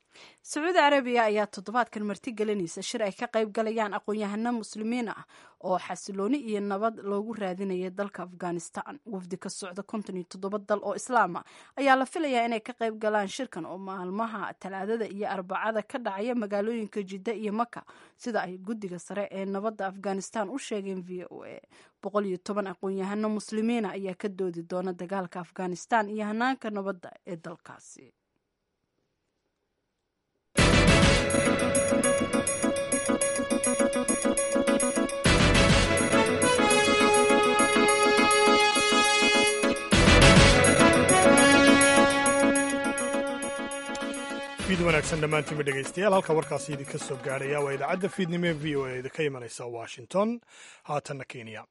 Sacuudi Carabiya ayaa toddobaadkan marti gelinaysa shir ay ka qayb galayaan aqoon-yahano muslimiin ah oo xasilooni iyo nabad loogu raadinaya dalka Afghanistan. Wafdi ka socda konton iyo toddoba dal oo islaam ah ayaa la filayaa inay ka qayb galaan shirkan oo maalmaha Talaadada iyo Arbacada ka dhacaya magaalooyinka Jidda iyo Maka, sida ay guddiga sare ee nabadda Afghanistan u sheegeen V O A. Boqol iyo toban aqoon-yahano muslimiina ayaa ka doodi doona dagaalka Afghanistan iyo hanaanka nabadda ee dalkaasi. Fiid wanaagsan dhammaantiinba dhegaystayaal. Halka warkaasi idinka soo gaarhaya waa idaacadda fiidnimo ee V O A idinka imanaysa Washington. Haatanna Kenya.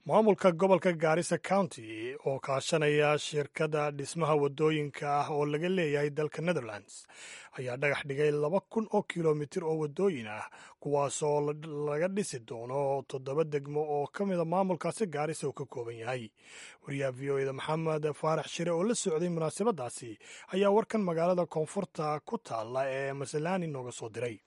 Maamulka gobolka Gaarisa County oo kaashanaya shirkadda dhismaha waddooyinka ah oo laga leeyahay dalka Netherlands ayaa dhagax dhigay laba kun oo kilomitir oo waddooyin ah, kuwaasoo laga dhisi doono toddoba degmo oo ka mida maamulkaasi Gaarisa uu ka kooban yahay. Wariyaha V O eda Maxamed Faarax Shire oo la socday munaasabadaasi ayaa warkan magaalada koonfurta ku taalla ee Masalani nooga soo diray.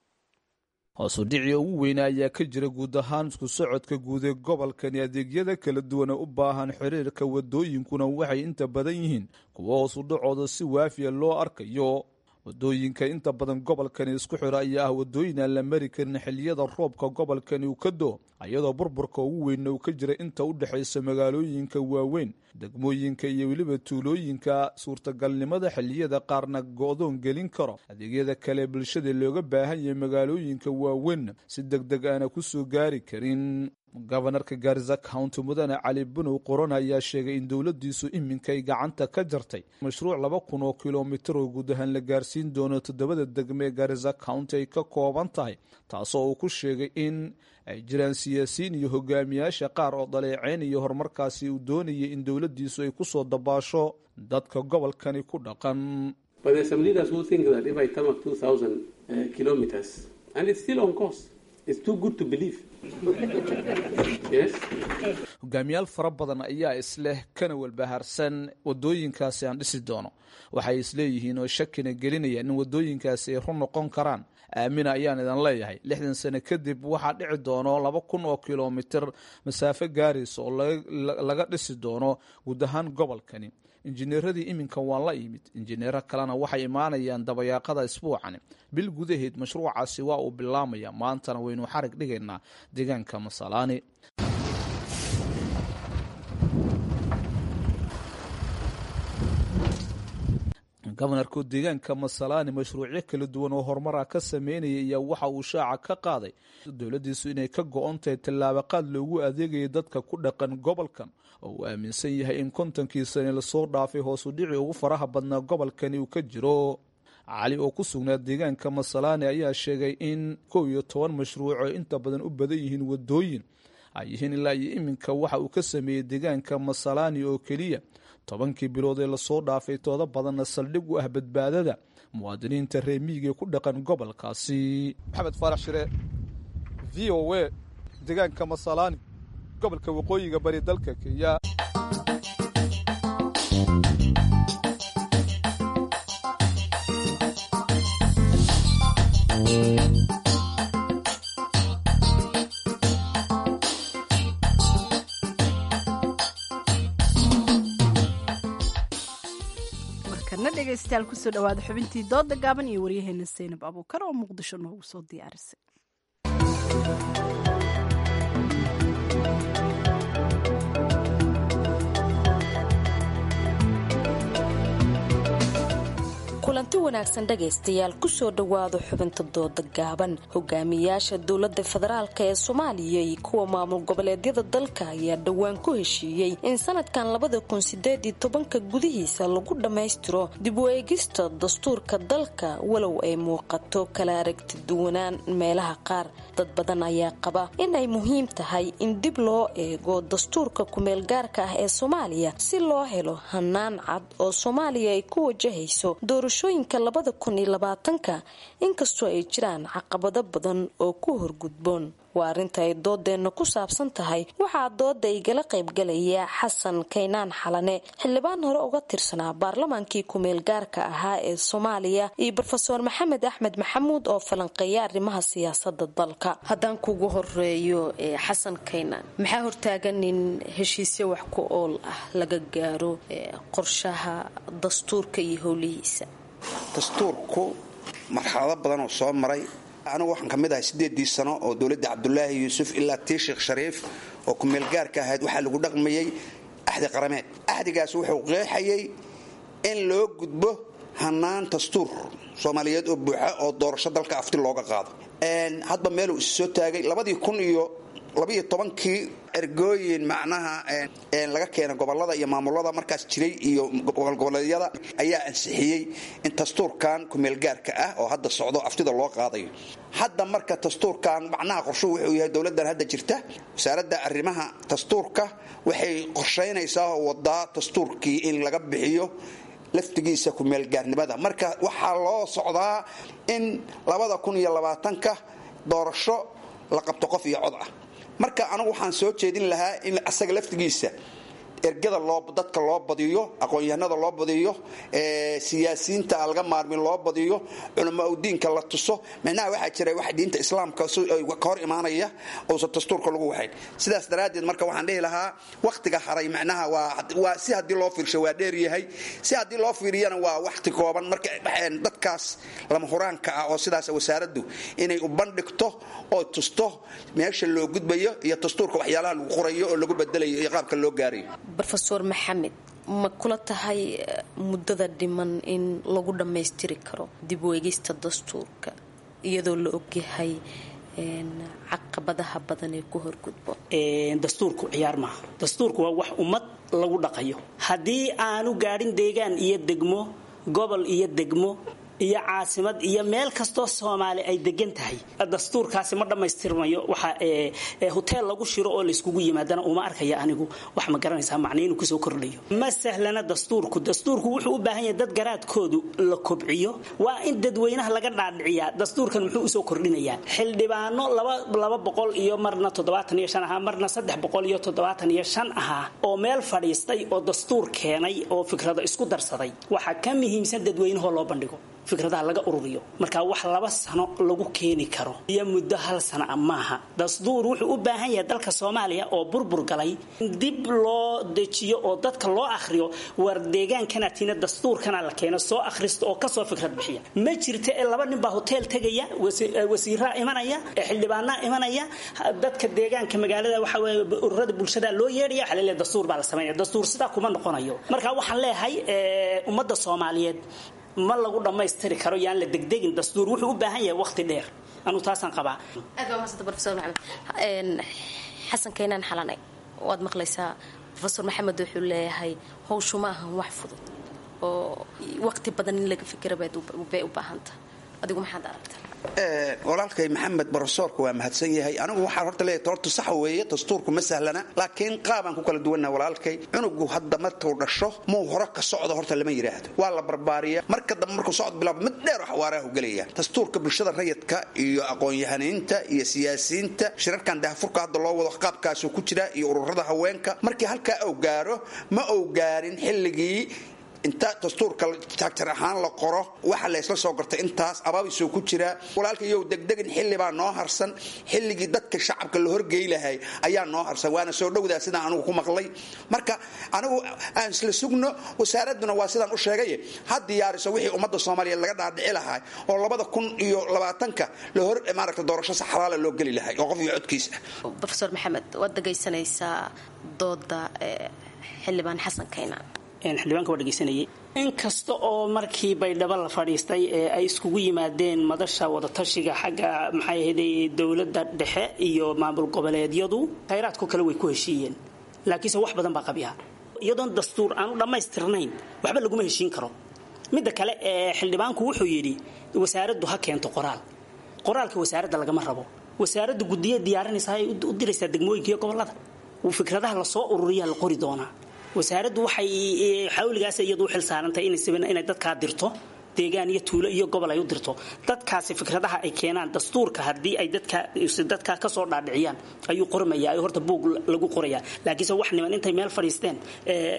Hoosu dhicii ugu weyna ayaa ka jira guud ahaan isku socodka guud ee gobolkani. Adeegyada kala duwan ee u baahan xiriirka wadooyinkuna waxay inta badan yihiin kuwo hoosu dhacooda si waafiya loo arkayo. Wadooyinka inta badan gobolkani isku xira ayaa ah wadooyin aan la mari karin xilliyada roobka gobolkani uu ka doo, iyadoo burburka ugu weynna uu ka jira inta u dhexaysa magaalooyinka waaweyn, degmooyinka iyo weliba tuulooyinka. Suurtagalnimada xilliyada qaarna go'doon gelin karo adeegyada kale bulshada looga baahan yahay magaalooyinka waaweyn si deg deg aana ku soo gaari karin. Gobanarka Gaarisa County Mudane Cali Bunow Qoran ayaa sheegay in dowladdiisu iminka ay gacanta ka jartay mashruuc laba kun oo kilomitir oo guud ahaan la gaarsiin doono toddobada degme ee Gaarisa County ay ka kooban tahay, taasoo uu ku sheegay in ay jiraan siyaasiyiin iyo hogaamiyaasha qaar oo dhaleeceyn iyo horumarkaasi uu doonayay in dowladdiisu ay ku soo dabaasho dadka gobolkani ku dhaqan. It's too good to believe. Yes. Hogaamiyaal fara badan ayaa isleh kana walbahaarsan wadooyinkaasi aan dhisi doono. Waxay isleeyihiin oo shakina gelinaya in wadooyinkaasi ay run noqon karaan. Aamina ayaan idan leeyahay, lixdan sano kadib waxaa dhici doono laba kun oo kilomitir masaafo gaaraysa oo laga dhisi doono guud ahaan gobolkani. Injineeradii iminka waa la yimid, injineero kalena waxay imaanayaan dabayaaqada isbuucani. Bil gudaheed mashruucaasi waa uu bilaamaya, maantana waynu xarig dhigaynaa deegaanka Masalaani. Gobanarka deegaanka Masalaani mashruucyo kala duwan oo horumara ka sameynaya ayaa waxa uu shaaca ka qaaday dowladiisu inay ka go-on tahay tallaabaqaad loogu adeegayo dadka ku dhaqan gobolkan, oo uu aaminsan yahay in kontonkii sane lasoo dhaafay hoosu dhici ugu faraha badnaa gobolkani uu ka jiro. Cali oo ku sugnaa deegaanka Masalaani ayaa sheegay in kow iyo toban mashruuc oo inta badan u badan yihiin wadooyin ay yihiin ilaa iyo iminka waxa uu ka sameeyey deegaanka Masalaani oo keliya tobankii bilood ee lasoo dhaafay, tooda badanna saldhig u ah badbaadada muwaadiniinta reer miyiga ee ku dhaqan gobolkaasi. Maxamed Faarax Shire, V O A, deegaanka Masalaani, gobolka waqooyiga bari dalka Kenya. Markana dhegaystayaal, kusoo dhawaada xubintii dooda gaaban iyo waryaheena Seynab Abuukar oo Muqdisho noogu soo diyaarisay. Kulanti wanaagsan dhagaystayaal, kusoo dhowaada xubinta dooda gaaban. Hogaamiyaasha dowlada federaalk ee Soomaaliya iyo kuwa maamul goboleedyada dalka ayaa dhowaan ku heshiiyey in sanadkan labada kun sideed iyo tobanka gudihiisa lagu dhammaystiro dib u eegista dastuurka dalka, walow ay muuqato kala aragti duwanaan meelaha qaar. Dad badan ayaa qaba in ay muhiim tahay in dib loo eego dastuurka kumeelgaarka ah ee Soomaaliya si loo helo hanaan cad oo Soomaaliya ay ku wajahayso doorashooyinka labada kun iyo labaatanka, inkastoo ay jiraan caqabado badan oo ku horgudboon. Waa arrinta ay doodeenna ku saabsan tahay. Waxaa dooda igala qaybgalaya Xasan Kaynaan Xalane, xildhibaan hore uga tirsanaa baarlamaankii kumeelgaarka ahaa ee Soomaaliya, iyo Brofeor Maxamed Axmed Maxamuud oo falanqeeya arrimaha siyaasada dalka. Haddaan kugu horeeyo Xasan Kaynaan, maxaa hortaagan in heshiisyo wax ku ool ah laga gaaro qorshaha dastuurka iyo howlihiisa? Dastuurku marxalado badan oo soo maray. Anigu waxaan ka mid ahay siddeedii sano oo dowladda Cabdulaahi Yuusuf ilaa tii Sheekh Shariif oo kumeelgaarka ahayd waxaa lagu dhaqmayey axdi qarameed. Axdigaas wuxuu qeexayay in loo gudbo hanaan dastuur soomaaliyeed oo buuxa oo doorasho dalka afti looga qaado. Hadba meeluu is soo taagay labadii kun iyo labiiyo tobankii ergooyin macnaha laga keena gobolada iyo maamulada markaas jiray iyo gobolgoboleedyada ayaa ansixiyey in dastuurkan kumeelgaarka ah oo hadda socdo aftida loo qaadayo. Hadda marka dastuurkan macnaha qorshuhu wuxuu yahay dowladan hadda jirta wasaaradda arrimaha dastuurka waxay qorshaynaysaa oo wadaa dastuurkii in laga bixiyo laftigiisa kumeelgaarnimada. Marka waxaa loo socdaa in labada kun iyo labaatanka doorasho la qabto qof iyo cod ah. Marka anigu waxaan soo jeedin lahaa in asaga laftigiisa ergada loo dadka loo badiyo, aqoon-yahanada loo badiyo, siyaasiyiinta aan laga maarmin loo badiyo, culamaa udiinka la tuso. Micnaha waxaa jira wax diinta islaamka ka hor imaanaya uusan dastuurka lagu waxayn. Sidaas daraaddeed marka waxaan dhihi lahaa wakhtiga haray macnaha waa waa si haddii loo fiirsho waa dheer yahay, si haddii loo fiiriyana waa wakhti kooban. Marka dadkaas lama huraanka ah oo sidaas wasaaraddu inay u bandhigto oo tusto meesha loo gudbayo iyo dastuurka waxyaalaha lagu qorayo oo lagu bedelayo iyo qaabka loo gaarayo. Brofeor Maxamed, ma kula tahay muddada dhiman in lagu dhammaystiri karo dib u eegista dastuurka iyadoo la ogyahay caqabadaha badan ee ku horgudbo? Dastuurku ciyaar maaha. Dastuurku waa wax ummad lagu dhaqayo. Haddii aanu gaadhin deegaan iyo degmo, gobol iyo degmo iyo caasimad iyo meel kastoo Soomaali ay degan tahay dastuurkaasi ma dhammaystirmayo. Waxa hotel lagu shiro oo layskugu yimaadana uma arkaya anigu wax ma garanaysaa macna inuu kusoo kordhayo. Ma sahlana dastuurku. Dastuurku wuxuu u baahan yahay dad garaadkoodu la kobciyo. Waa in dadweynaha laga dhaadhiciyaa dastuurkan muxuu usoo kordhinayaa. Xildhibaano laba laba boqol iyo marna toddobaatan iyo shan ahaa, marna saddex boqol iyo toddobaatan iyo shan ahaa oo meel fadhiistay oo dastuur keenay oo fikrado isku darsaday, waxaa ka muhiimsan dadweynahoo loo bandhigo, fikradaha laga ururiyo. Marka wax laba sano lagu keeni karo iyo muddo hal sana ah maaha. Dastuur wuxuu u baahan yahay dalka Soomaaliya oo burbur galay dib loo dejiyo oo dadka loo akhriyo, war deegaankana tiina dastuurkana la keeno, soo akhristo oo kasoo fikrad bixiya. Ma jirta ee laba nin baa hotel tegaya, wasiiraa imanaya, xildhibaanaa imanaya, dadka deegaanka magaalada waxa weeye ururada bulshada loo yeedhaya, waxa la leeyahay dastuur baa la sameynaya. Dastuur sidaa kuma noqonayo. Marka waxaan leeyahay ummadda Soomaaliyeed ma lagu dhammaystiri karo, yaan la degdegin. Dastuur wuxuu u baahan yahay waqti dheer, anu taasaan qabaa. Aad baa mahadsantahay Professor Maxamed. Xasan Keenan Xalane, waad maqlaysaa Professor Maxamed wuxuu leeyahay howshu ma ahan wax fudud oo waqti badan in laga fikira bay u baahan tahay. Adigu maxaad aragtaa? Walaalkay Maxamed barosoorka waa mahadsan yahay. Anigu waxaan horta leeyahay horta sax weeye, dastuurku ma sahlana, laakiin qaabaan ku kala duwannaha walaalkay. Cunugu hadda markuu dhasho muu hore ka socdo horta lama yidhaahdo, waa la barbaariya. Marka dambe markuu socod bilaabo mid dheer oo xawaaraha u gelaya. Dastuurka bulshada rayidka iyo aqoon-yahaniinta iyo siyaasiyiinta shirarkan daahfurka hadda loo wado qaabkaasuu ku jira iyo ururada haweenka. Markii halkaa uu gaaro ma uu gaarin xilligii inta dastuurka taagtar ahaan la qoro waxa la isla soo gartay intaas abaabisuu ku jiraa. Walaalka iyow degdegin, xilli baa noo harsan, xilligii dadka shacabka la horgey lahay ayaa noo harsan, waana soo dhowdaa sidaan anigu ku maqlay. Marka anigu aan isla sugno, wasaaradduna waa sidaan u sheegay ha diyaariso wixii ummadda Soomaaliyeed laga dhaadhici lahay oo labada kun iyo labaatanka la hor maaragta doorasho sax xalaala loo geli lahay oo qof iyo codkiisa. Professor Maxamed, waad dhegaysanaysaa dooda xildhibaan Xasan Keenan. Xildhibaanka waa dhegaysanayay. Inkasta oo markii Baydhabo la fadhiistay ee ay iskugu yimaadeen madasha wadatashiga xagga maxay ahayd dowladda dhexe iyo maamul goboleedyadu, khayraadku kale way ku heshiiyeen, laakiinse wax badan baa qabyaha. Iyadoon dastuur aanu dhammaystirnayn waxba laguma heshiin karo. Midda kale ee xildhibaanku wuxuu yidhi wasaaraddu ha keento qoraal. Qoraalka wasaaradda lagama rabo, wasaaraddu guddiye diyaarinaysaa ay u diraysaa degmooyinka iyo gobollada, fikradaha lasoo ururiyaa la qori doonaa. Wasaaraddu waxay xawligaas iyadu u xil saarantay inay dadkaa dirto deegaan iyo tuulo iyo gobol ay u dirto dadkaasi fikradaha ay keenaan dastuurka. Haddii ay dadka dadka ka soo dhaadhiciyaan ayuu qormayaa, ay horta buug lagu qorayaa. Laakiinse wax niman intay meel fadhiisteen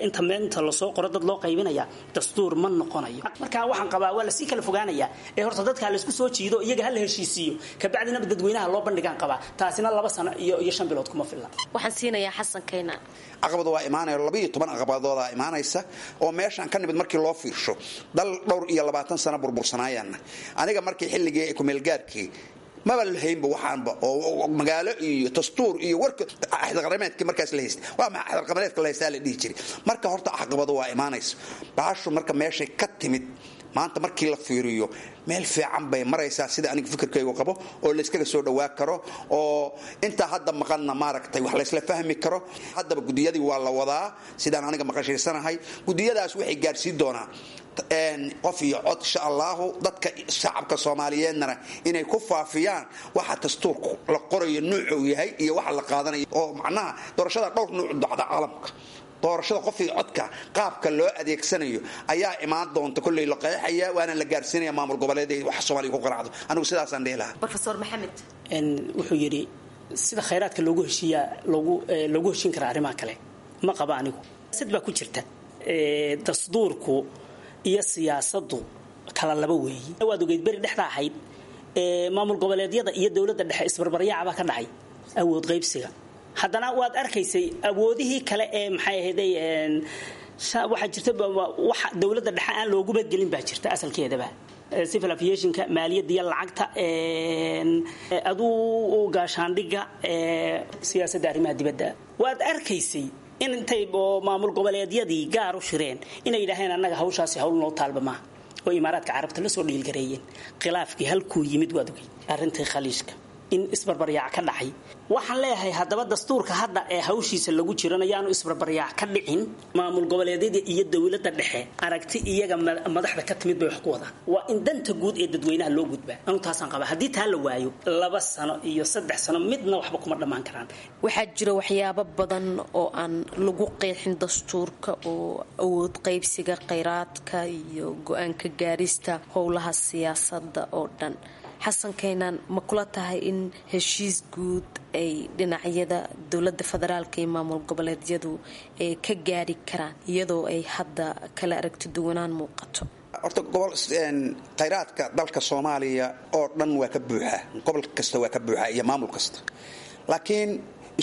inta meel inta lasoo qoro dad loo qaybinaya dastuur ma noqonayo. Marka waxaan qabaa waa lasii kala fogaanayaa ee horta dadka laysku soo jiido, iyaga ha la heshiisiiyo, kabacdina dadweynaha loo bandhigaan qabaa. Taasina laba sano iyo iyo shan bilood kuma filla. Waxaan siinayaa Xasan Keenan. Caqabadu waa imaanaya, laba iyo toban caqabadoodaa imaanaysa oo meeshaan ka nimid markii loo fiirsho dal dhowr iyo labaatan sano burbursanaayana. Aniga markii xilligii kumeelgaarkii maba lahaynba waxaanba oo magaalo iyo dastuur iyo warka axdaqrameedkii markaas la haystay, waa maxay axdaqrameedka la haystaa la dhihi jiray. Marka horta caqabadu waa imaanaysa. Baashu marka meeshay ka timid maanta markii la fiiriyo meel fiican bay maraysaa sida aniga fikirkaygu qabo, oo layskaga soo dhawaa karo oo intaa hadda maqanna maaragtay wax laysla fahmi karo. Haddaba gudiyadii waa la wadaa sidaan aniga maqashiisanahay. Gudiyadaas waxay gaarsiin doonaa qof iyo cod insha allahu, dadka shacabka Soomaaliyeedna inay ku faafiyaan waxa dastuurku la qorayo nuucu yahay iyo waxa la qaadanayo, oo macnaha doorashada dhowr nuuc dhacda caalamka. Doorashada qof iyo codka qaabka loo adeegsanayo ayaa imaan doonta kolley la qeexaya, waana la gaarsiinaya maamul goboleedyada wax Soomaaliya ku qaraacdo. Anigu sidaasaan dhihi lahaa. Professor Maxamed wuxuu yidhi sida khayraadka loogu heshiiyaa loogu loogu heshiin karaa arrimaha kale ma qaba anigu. Sid baa ku jirta dastuurku iyo siyaasaddu kala laba weeyi. Waad ogeyd beri dhexda ahayd maamul goboleedyada iyo dowladda dhexe isbarbaryaacaba ka dhacay awood qaybsiga. Haddana waad arkaysay awoodihii kale ee maxay ahayd waxaa jirta waxa dowladda dhexe aan loogu badgelin baa jirta asalkeedaba, civil aviationka, maaliyadda iyo lacagta, aduu gaashaandhigga, siyaasadda arrimaha dibadda. Waad arkaysay in intay oo maamul goboleedyadii gaar u shireen inay yidhaaheen annaga hawshaasi hawl noo taalba maaha, oo imaaraadka carabta la soo dhiilgareeyeen. Khilaafkii halkuu yimid waad ogey, arrintii khaliijka in isbarbaryaac ka dhacay. Waxaan leeyahay haddaba dastuurka hadda ee hawshiisa lagu jiranayaanu isbarbaryaac ka dhicin. Maamul goboleedyada iyo dowladda dhexe aragti iyaga madaxda ka timid bay wax ku wadaan. Waa in danta guud ee dadweynaha loo gudbaa. Anu taasaan qabaa. Haddii taa la waayo laba sano iyo saddex sano midna waxba kuma dhammaan karaan. Waxaa jira waxyaabo badan oo aan lagu qeexin dastuurka oo awood qaybsiga kheyraadka iyo go-aanka gaarista howlaha siyaasadda oo dhan. Xasan Kaynaan, ma kula tahay in heshiis guud ay dhinacyada dowladda federaalka iyo maamul goboleedyadu ay ka gaari karaan iyadoo ay hadda kala aragti duwanaan muuqato? Horta gobol khayraadka dalka Soomaaliya oo dhan waa ka buuxa, gobol kasta waa ka buuxa iyo maamul kasta, laakiin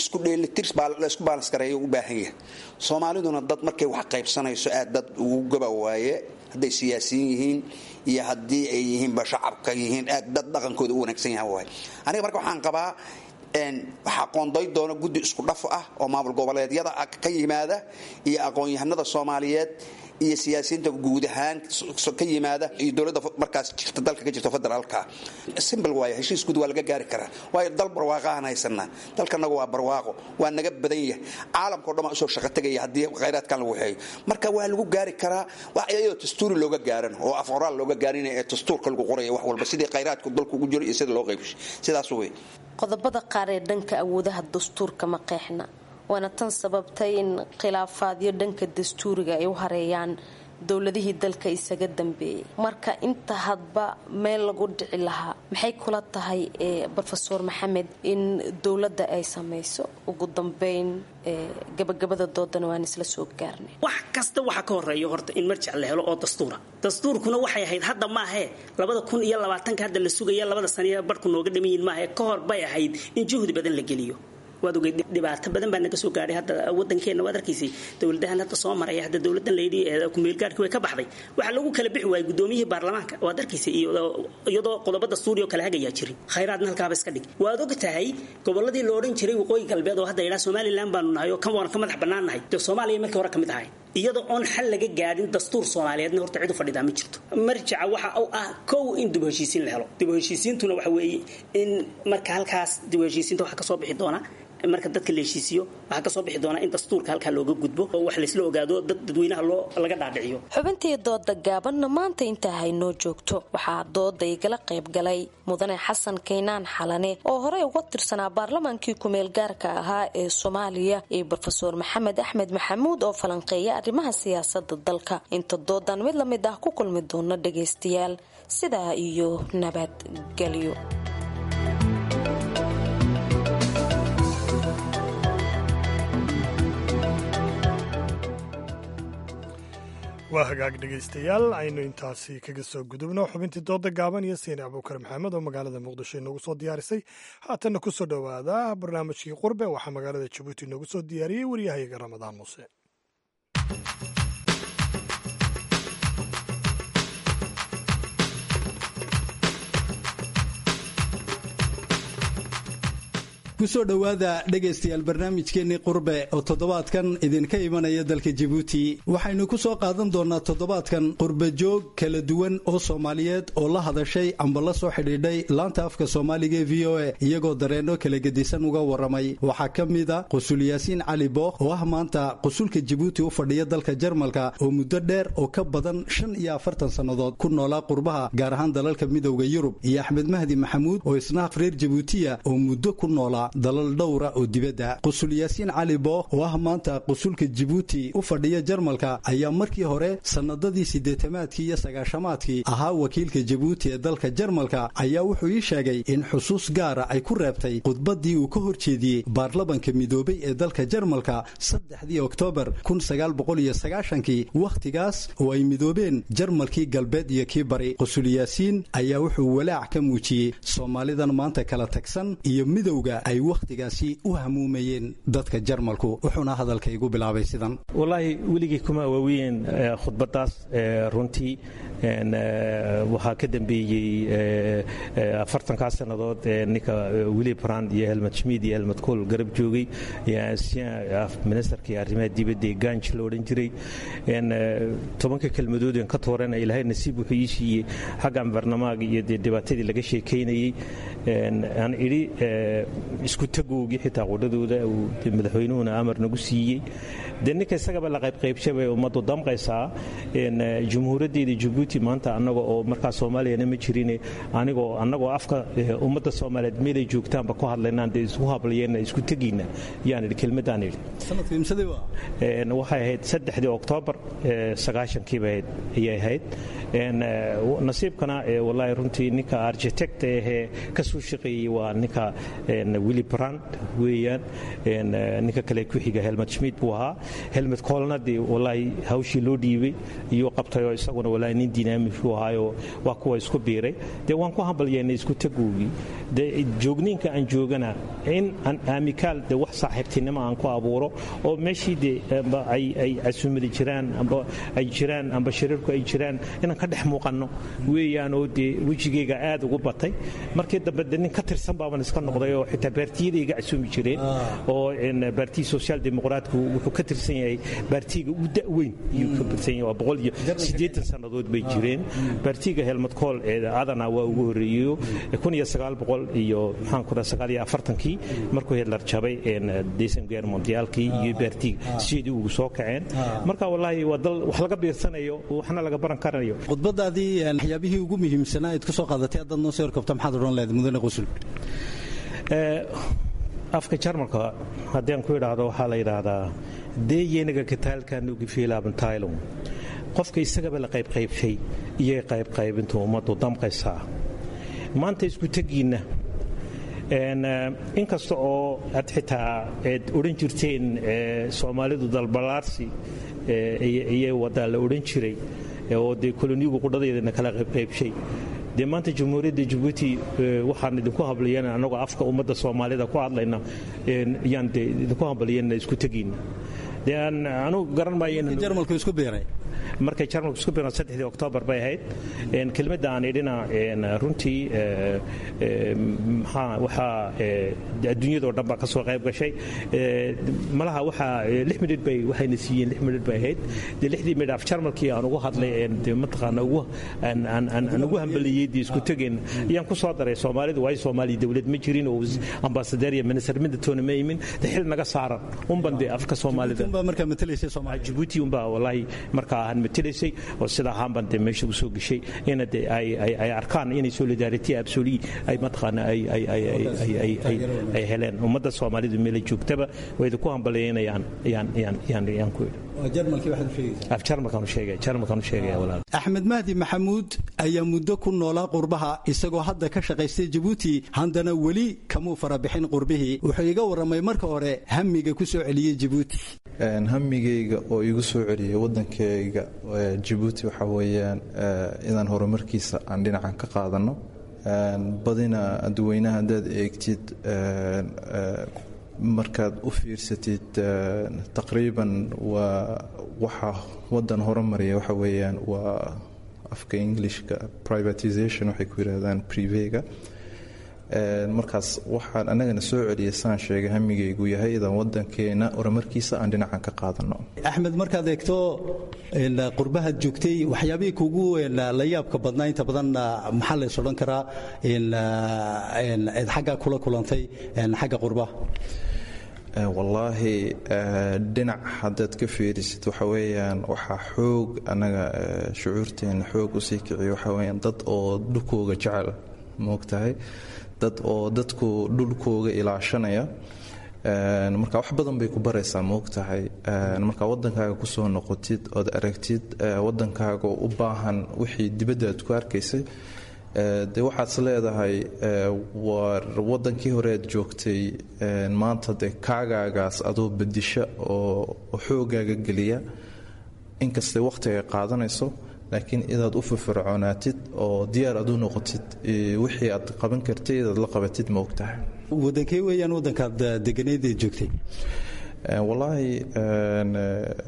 isku dheelitir la isku baalans gareeyo u baahan yahay. Soomaaliduna dad markay wax qaybsanayso aad dad ugu goba waaye, hadday siyaasiyiin yihiin iyo haddii ay yihiinba shacabka yihiin, aad dad dhaqankooda u wanaagsan yahan waaye. Aniga marka waxaan qabaa waxaa qoonday doona guddi isku dhaf ah oo maamul goboleedyada ka yimaada iyo aqoon-yahanada Soomaaliyeed iyo siyaasiyiinta guud ahaan ka yimaada iyo dowladda markaas jirta dalka ka jirta federaalka. Simple waaye, heshiis guud waa laga gaari karaa. Waayo dal barwaaqo aan haysanaa, dalkanagu waa barwaaqo, waa naga badan yahay, caalamkao dhan waa usoo shaqo tegaya haddii khayraadkan lagu waxeeyo. Marka waa lagu gaari karaa wax iyadoo dastuuri looga gaaran oo af qoraal looga gaarin ee dastuurka lagu qoraya wax walba sidii khayraadku dalku ugu jiro iyo sida loo qaybshay, sidaas wey. Qodobada qaar ee dhanka awoodaha dastuurka ma qeexna, waana tan sababtay in khilaafaadyo dhanka dastuuriga ay u hareeyaan dowladihii dalka isaga dambeeyay. Marka inta hadba meel lagu dhici lahaa, maxay kula tahay Brofesor Maxamed in dowladda ay samayso? Ugu dambeyn gabagabada doodana waan isla soo gaarnay. Wax kasta waxa ka horeeya horta in marjac la helo oo dastuura. Dastuurkuna waxay ahayd hadda maahee labada kun iyo labaatanka hadda la sugaya, labada saniya barhku nooga dhamayin maahe, ka hor bay ahayd in juhdi badan la geliyo. Waad ogeyd dhibaato badan baa naga soo gaadhay hadda wadankeena, waad arkaysay dowladahan hadda soo maraya. Hadda dowladan layidhi kumeelgaarhkii way ka baxday, waxaa lagu kala bixi waayey gudoomiyihii baarlamaanka, waad arkaysay, iyadoo qodobo dastuuri oo kala hagayaa jirin. Khayraadna halkaaba iska dhig. Waad og tahay gobolladii la odhan jiray waqooyi galbeed oo hadda yidhaha Somaliland baanu nahay oo kan waanu ka madax bannaan nahay, dee Soomaaliya markii hore ka mid ahay, iyadoo oon xal laga gaadhin dastuur Soomaaliyeedna horta cid u fadhidaa ma jirto. Marjaca waxa uu ah kow in dib u heshiisiin la helo. Dib u heshiisiintuna waxa weeye in marka halkaas dib u heshiisiinta waxa ka soo bixi doona marka dadka la heshiisiyo, waxaa kasoo bixi doonaa in dastuurka halkaa looga gudbo oo wax laysla ogaado, dad dadweynaha loo laga dhaadhiciyo. Xubintii dooda gaabanna maanta intaa haynoo joogto. Waxaa dooda igala qayb galay mudane Xasan Kaynaan Xalane oo horey uga tirsanaa baarlamaankii kumeel gaarka ahaa ee Soomaaliya iyo Brofesor Maxamed Axmed Maxamuud oo falanqeeya arrimaha siyaasada dalka. Inta doodan mid lamid ah ku kulmi doona dhagaystayaal, sidaa iyo nabadgelyo. Waa hagaag dhegaystayaal, aynu intaasi kaga soo gudubno xubintii dooda gaaban iyo Siine Abuukar Maxamed oo magaalada Muqdisho inoogu soo diyaarisay. Haatanna ku soo dhowaada barnaamijkii Qurbe. Waxaa magaalada Jabuuti inoogu soo diyaariyey waryahayaga Ramadaan Muuse. Kusoo dhowaada dhegaystayaal barnaamijkeennii Qurbe oo toddobaadkan idinka imanaya dalka Jabuuti. Waxaynu ku soo qaadan doonnaa toddobaadkan qurbe joog kala duwan oo Soomaaliyeed oo la hadashay amba la soo xidhiidhay laanta afka Soomaaliga ee V O A, iyagoo dareenno kala gedisan uga warramay. Waxaa ka mid a Qusul Yaasiin Cali Bookh oo ah maanta qusulka Jabuuti u fadhiya dalka Jarmalka, oo muddo dheer oo ka badan shan iyo afartan sannadood ku noolaa qurbaha, gaar ahaan dalalka Midowda Yurub, iyo Axmed Mahdi Maxamuud oo isna reer Jabuutiya oo muddo ku noolaa dalal dhowra oo dibadda. Qusul Yaasiin Cali Bookh oo ah maanta qusulka Jabuuti u fadhiya Jarmalka ayaa markii hore sannadadii siddeetamaadkii iyo sagaashamaadkii ahaa wakiilka Jabuuti ee dalka Jarmalka, ayaa wuxuu ii sheegay in xusuus gaara ay ku reebtay khudbaddii uu ka hor jeediyey baarlamanka midoobay ee dalka Jarmalka saddexdii Oktoobar kun sagaal boqol iyo sagaashankii, wakhtigaas oo ay midoobeen Jarmalkii galbeed iyo kii bari. Qusul Yaasiin ayaa wuxuu walaac ka muujiyey Soomaalidan maanta kala tagsan iyo midowga ay wakhtigaasi u hamuumayeen dadka Jarmalku, wuxuuna hadalka igu bilaabay sidan. Wallaahi weligii kuma waaweyn khudbadaas runtii. Waxaa ka dambeeyey afartankaa sannadood ninka Willy Brandt iyo Helmut Schmidt iyo Helmut Kohl garab joogay, ministerkii arrimaha dibadda ee Ganj la odhan jiray. Tobanka kelmadood een ka toorana Ilaahay nasiib wuxuu ii siiyey xaggan barnamaaga iyo dee dhibaatadii laga sheekaynayey aan idhi isku tagoogii xitaa qudhadooda uu madaxweynuhuna amar nagu siiyey. Dee ninka isagaba la qaybqaybshay bay ummaddu damqaysaa. Jumhuuriyaddeeda Jabuuti maanta annaga oo markaa Soomaaliyana ma jirin, anigoo annagoo afka ummadda Soomaaliyeed meelay joogtaanba ku hadlaynaan dee isku hablayeenna isku tegayna yaan idhi kelmaddaan idhi. Waxay ahayd saddexdii Oktoobar sagaashankiiba ahayd ayay ahayd. Nasiibkana wallaahi runtii ninka architect ahee ka soo shaqeeyey waa ninka Willy Brandt weeyaan. Ninka kale ku xiga Helmut Schmidt buu ahaa. Helmut Kohlna dee wallaahi hawshii loo dhiibay iyuu qabtay oo isaguna wallaahi nin dynamic buu ahaayoo waa kuwa isku biiray. Dee waan ku hambalyeennay isku tagoogii. Dee joogniinka aan joogana in aan aamikaal dee wax saaxiibtinimo aan ku abuuro oo meeshii dee ay ay casuumadi jiraan amba ay jiraan amba shirarku ay jiraan inaan ka dhex muuqanno weeyaan oo dee wejigayga aad ugu batay. Markii dambe dee nin ka tirsan baaban iska noqday oo xitaa baartiyada iga casuumi jireen oo baartiya social dimuqraatku wuxuu ka tirsan yahay baartiga ugu da'weyn iyuu ka tirsan yahay, waa boqol iyo siddeetan sannadood bay jireen. Baartiga Helmut Kohl ee adana waa ugu horreeyeyo kun iyo sagaal boqol iyo maxaan ku dhaha sagaal iyo afartankii markuu Hitler jabay Deuxième Guerre mondiale-kii iyo baartiga sideedii ugu soo kaceen. Marka wallaahi waa dal wax laga biirsanayo, waxna laga baran karanayo. Khudbadaadii waxyaabihii ugu muhiimsanaa aad ku soo qaadatay haddaad noo soo horkabto maxaad odhan lahayd, mudane Qusul? Afka Jarmalka haddii aan ku idhaahdo waxaa la yidhaahdaa deeyeniga kataalkanugifiilaabantylon, qofka isagaba la qaybqaybshay iyay qaybqaybintu ummaddu damqaysaa. Maanta isku tegiinna inkasta oo aad xitaa aad odhan jirteen Soomaalidu dalbalaarsi iyay wadaa la odhan jiray oo dee koloniyigu qudhadeedana kala qaybqaybshay, dee maanta Jamhuuriyadda Jabuuti waxaan idinku hablayana annagoo afka ummadda Soomaalida ku hadlayna yaan dee idinku hambaliyana isku tegayna. Dee aan anugu garan maayo Jarmalku isku biiray. Markay Jarmalku isku biiran saddexdii Oktoobar bay ahayd. Kelmadda aan idhina runtii maxaa waxaa adduunyadoo dhan baa ka soo qayb gashay. Malaha waxaa lix midhidh bay waxayna siiyeen, lix midhidh bay ahayd. Dee lixdii midh af Jarmalkii aan ugu hadlay dee mataqaana ugu aan aan aan ugu hambaliyey dee isku tegeen ayaan ku soo daray Soomaalidu, waayo Soomaaliya dowlad ma jirin oo ambaasadeer iyo minister midatoona ma imin, dee xil naga saaran unban dee afka Soomaalida markaa matalaysay Soomaaliya Jabuuti unbaa wallaahi markaa ahaan matalaysay oo sida ahaan baan dee meesha ugu soo gashay ina dee ay ay ay arkaan inay solidarity absolue ay mataqaana ay ay ay ay ay ay ay heleen ummadda Soomaalidu meel ay joogtaba way idinku hambalyeynayaan yaan yaan yaan yaan ku idhi. Jarmalkii waxaad u sheegaysaa? Af Jarmalkaan u sheegaya, Jarmalkaan u sheegaya walaal. Axmed Mahdi Maxamuud ayaa muddo ku noolaa qurbaha isagoo hadda ka shaqaystay Jabuuti, haddana weli kamuu farabixin qurbihii. Wuxuu iga warramay marka hore hamiga ku soo celiyey Jabuuti. Hamigayga oo igu soo celiyey waddankayga Jabuuti waxaa weeyaan inaan horumarkiisa aan dhinacan ka qaadano. Badina dadweynaha haddaad eegtid, markaad u fiirsatid, taqriiban waa waxa waddan horumariya waxa weeyaan waa afka Englishka privatization waxay ku yidhahdaan privega. Markaas waxaan annagana soo celiyay saan sheegay hamigaygu yahay idan waddankeena horumarkiisa aan dhinacan ka qaadano. Axmed, markaad eegto qurbahaad joogtay, waxyaabihii kugu la yaabka badnaa inta badan maxaa lays odhan karaa eed xaggaa kula kulantay xagga qurbaha? Wallaahi dhinac haddaad ka fiirisid waxa weeyaan waxaa xoog annaga shucuurteena xoog usii kiciyo waxa weeyaan dad oo dhulkooga jecel, moogtahay, dad oo dadku dhulkooga ilaashanaya. Marka wax badan bay ku baraysaa, moogtahay, marka waddankaaga kusoo noqotid ood aragtid waddankaaga u baahan wixii dibadda aad ku arkaysay, dee waxaad is leedahay war waddankii hore aad joogtay maanta dee kaagaagaas adoo bedisha oo xoogaaga geliya, inkastay wakhtiga qaadanayso, laakiin inaad u firfircoonaatid oo diyaar aad u noqotid wixii aad qaban kartay inaad la qabatid, ma ogtahay. Wadankee weeyaan waddankaad deganayd ee joogtay? Wallaahi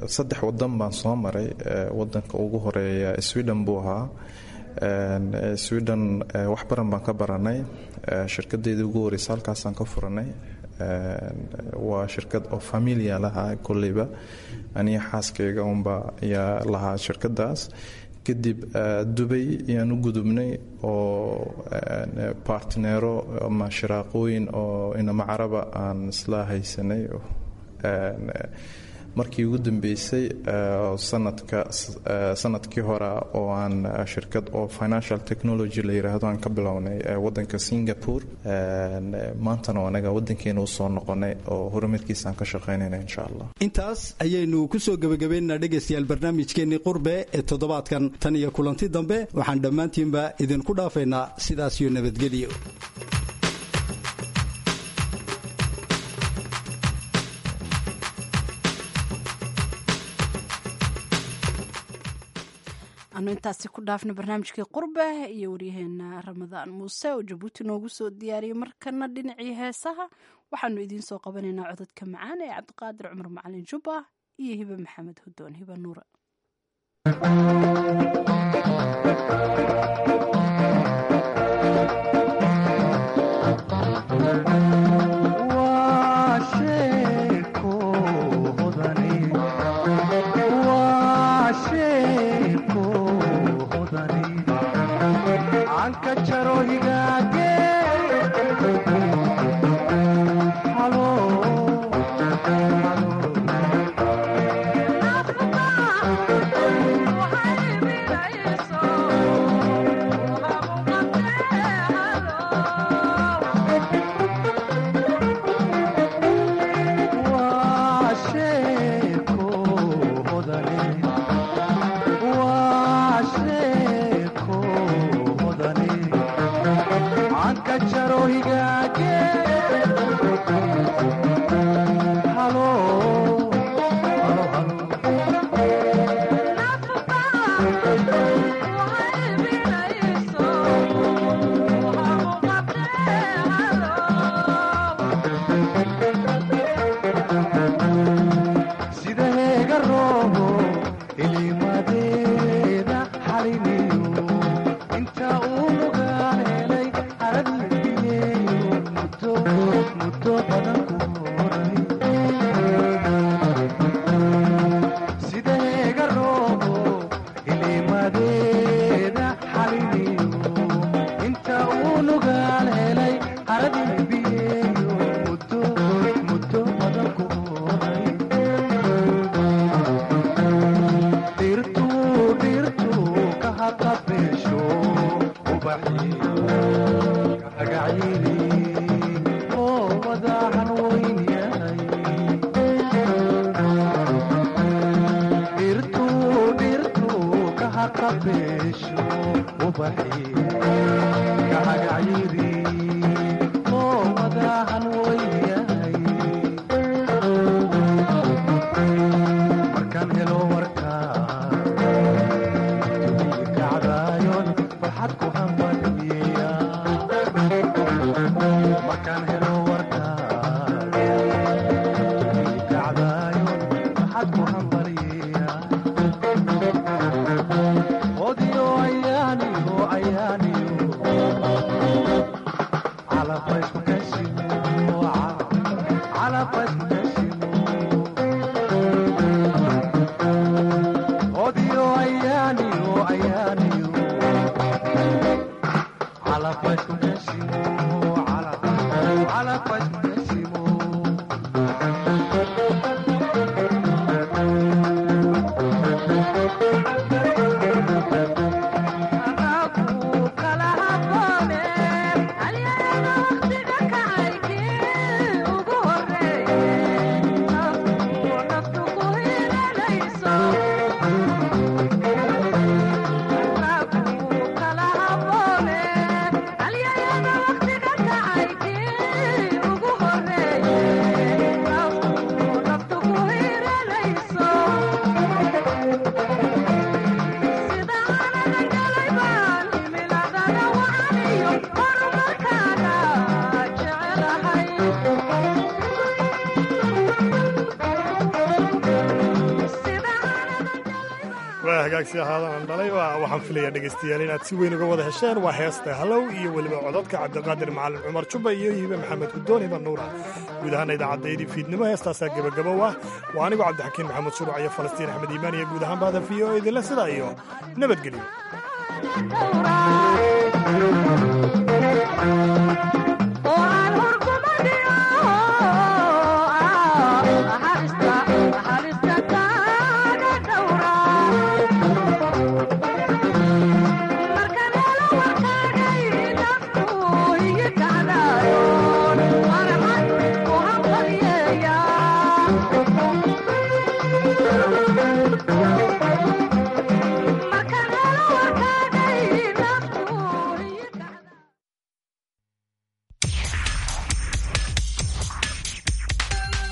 saddex wadan baan soo maray. Wadanka ugu horeeya Sweden buu ahaa. Sweden wax baran baan ka baranay. Shirkadeedii ugu horeysa halkaasaan ka furanay. Waa shirkad oo familia lahaa, kolleyba aniga xaaskayga unba ayaa lahaa shirkadaas. Kadib Dubay ayaan u gudubnay oo partnero ama shiraaqooyin oo inama caraba aan isla haysanay. Markii ugu dambeysay sanadka sanadkii hore oo aan shirkad oo financial technology la yiraahdo aan ka bilownay wadanka Singapore. Maantana anaga wadankeena usoo noqonay oo horumarkiisa aan ka shaqeynayna, insha Allah. Intaas ayaynu ku soo gebagabaynaynaa, dhegaystayaal, barnaamijkeennii Qurbe ee toddobaadkan. Tan iyo kulanti dambe, waxaan dhammaantiinba idinku dhaafaynaa sidaas iyo nabadgelyo. Anu intaasi ku dhaafna barnaamijkii Qurbe iyo waryaheena Ramadaan Muuse oo Jabuuti noogu soo diyaariyey. Markana dhinacii heesaha waxaanu idiin soo qabanaynaa codadka macaan ee Cabdiqaadir Cumar Macalin Jubba iyo Hibe Maxamed Hudoon, Hibe Nuura. Ugu horeeye. Waa hagaagsi ahaadan dhalay. Waxaan filayaa dhegaystayaal inaad si weyn uga wada hesheen. Waa heesta Halow iyo weliba codadka Cabdiqaadir Macalin Cumar Jubba iyo Hibe Maxamed Gudoon, Hiba Nuura. Guud ahaana idaacaddayadii fiidnimo heestaasaa gebagabow ah. Waa anigoo Cabdixakiin Maxamed Shuruc iyo Falastiin Axmed Iimaan iyo guud ahaan bahda V O idinle sidaa iyo nabadgelyo.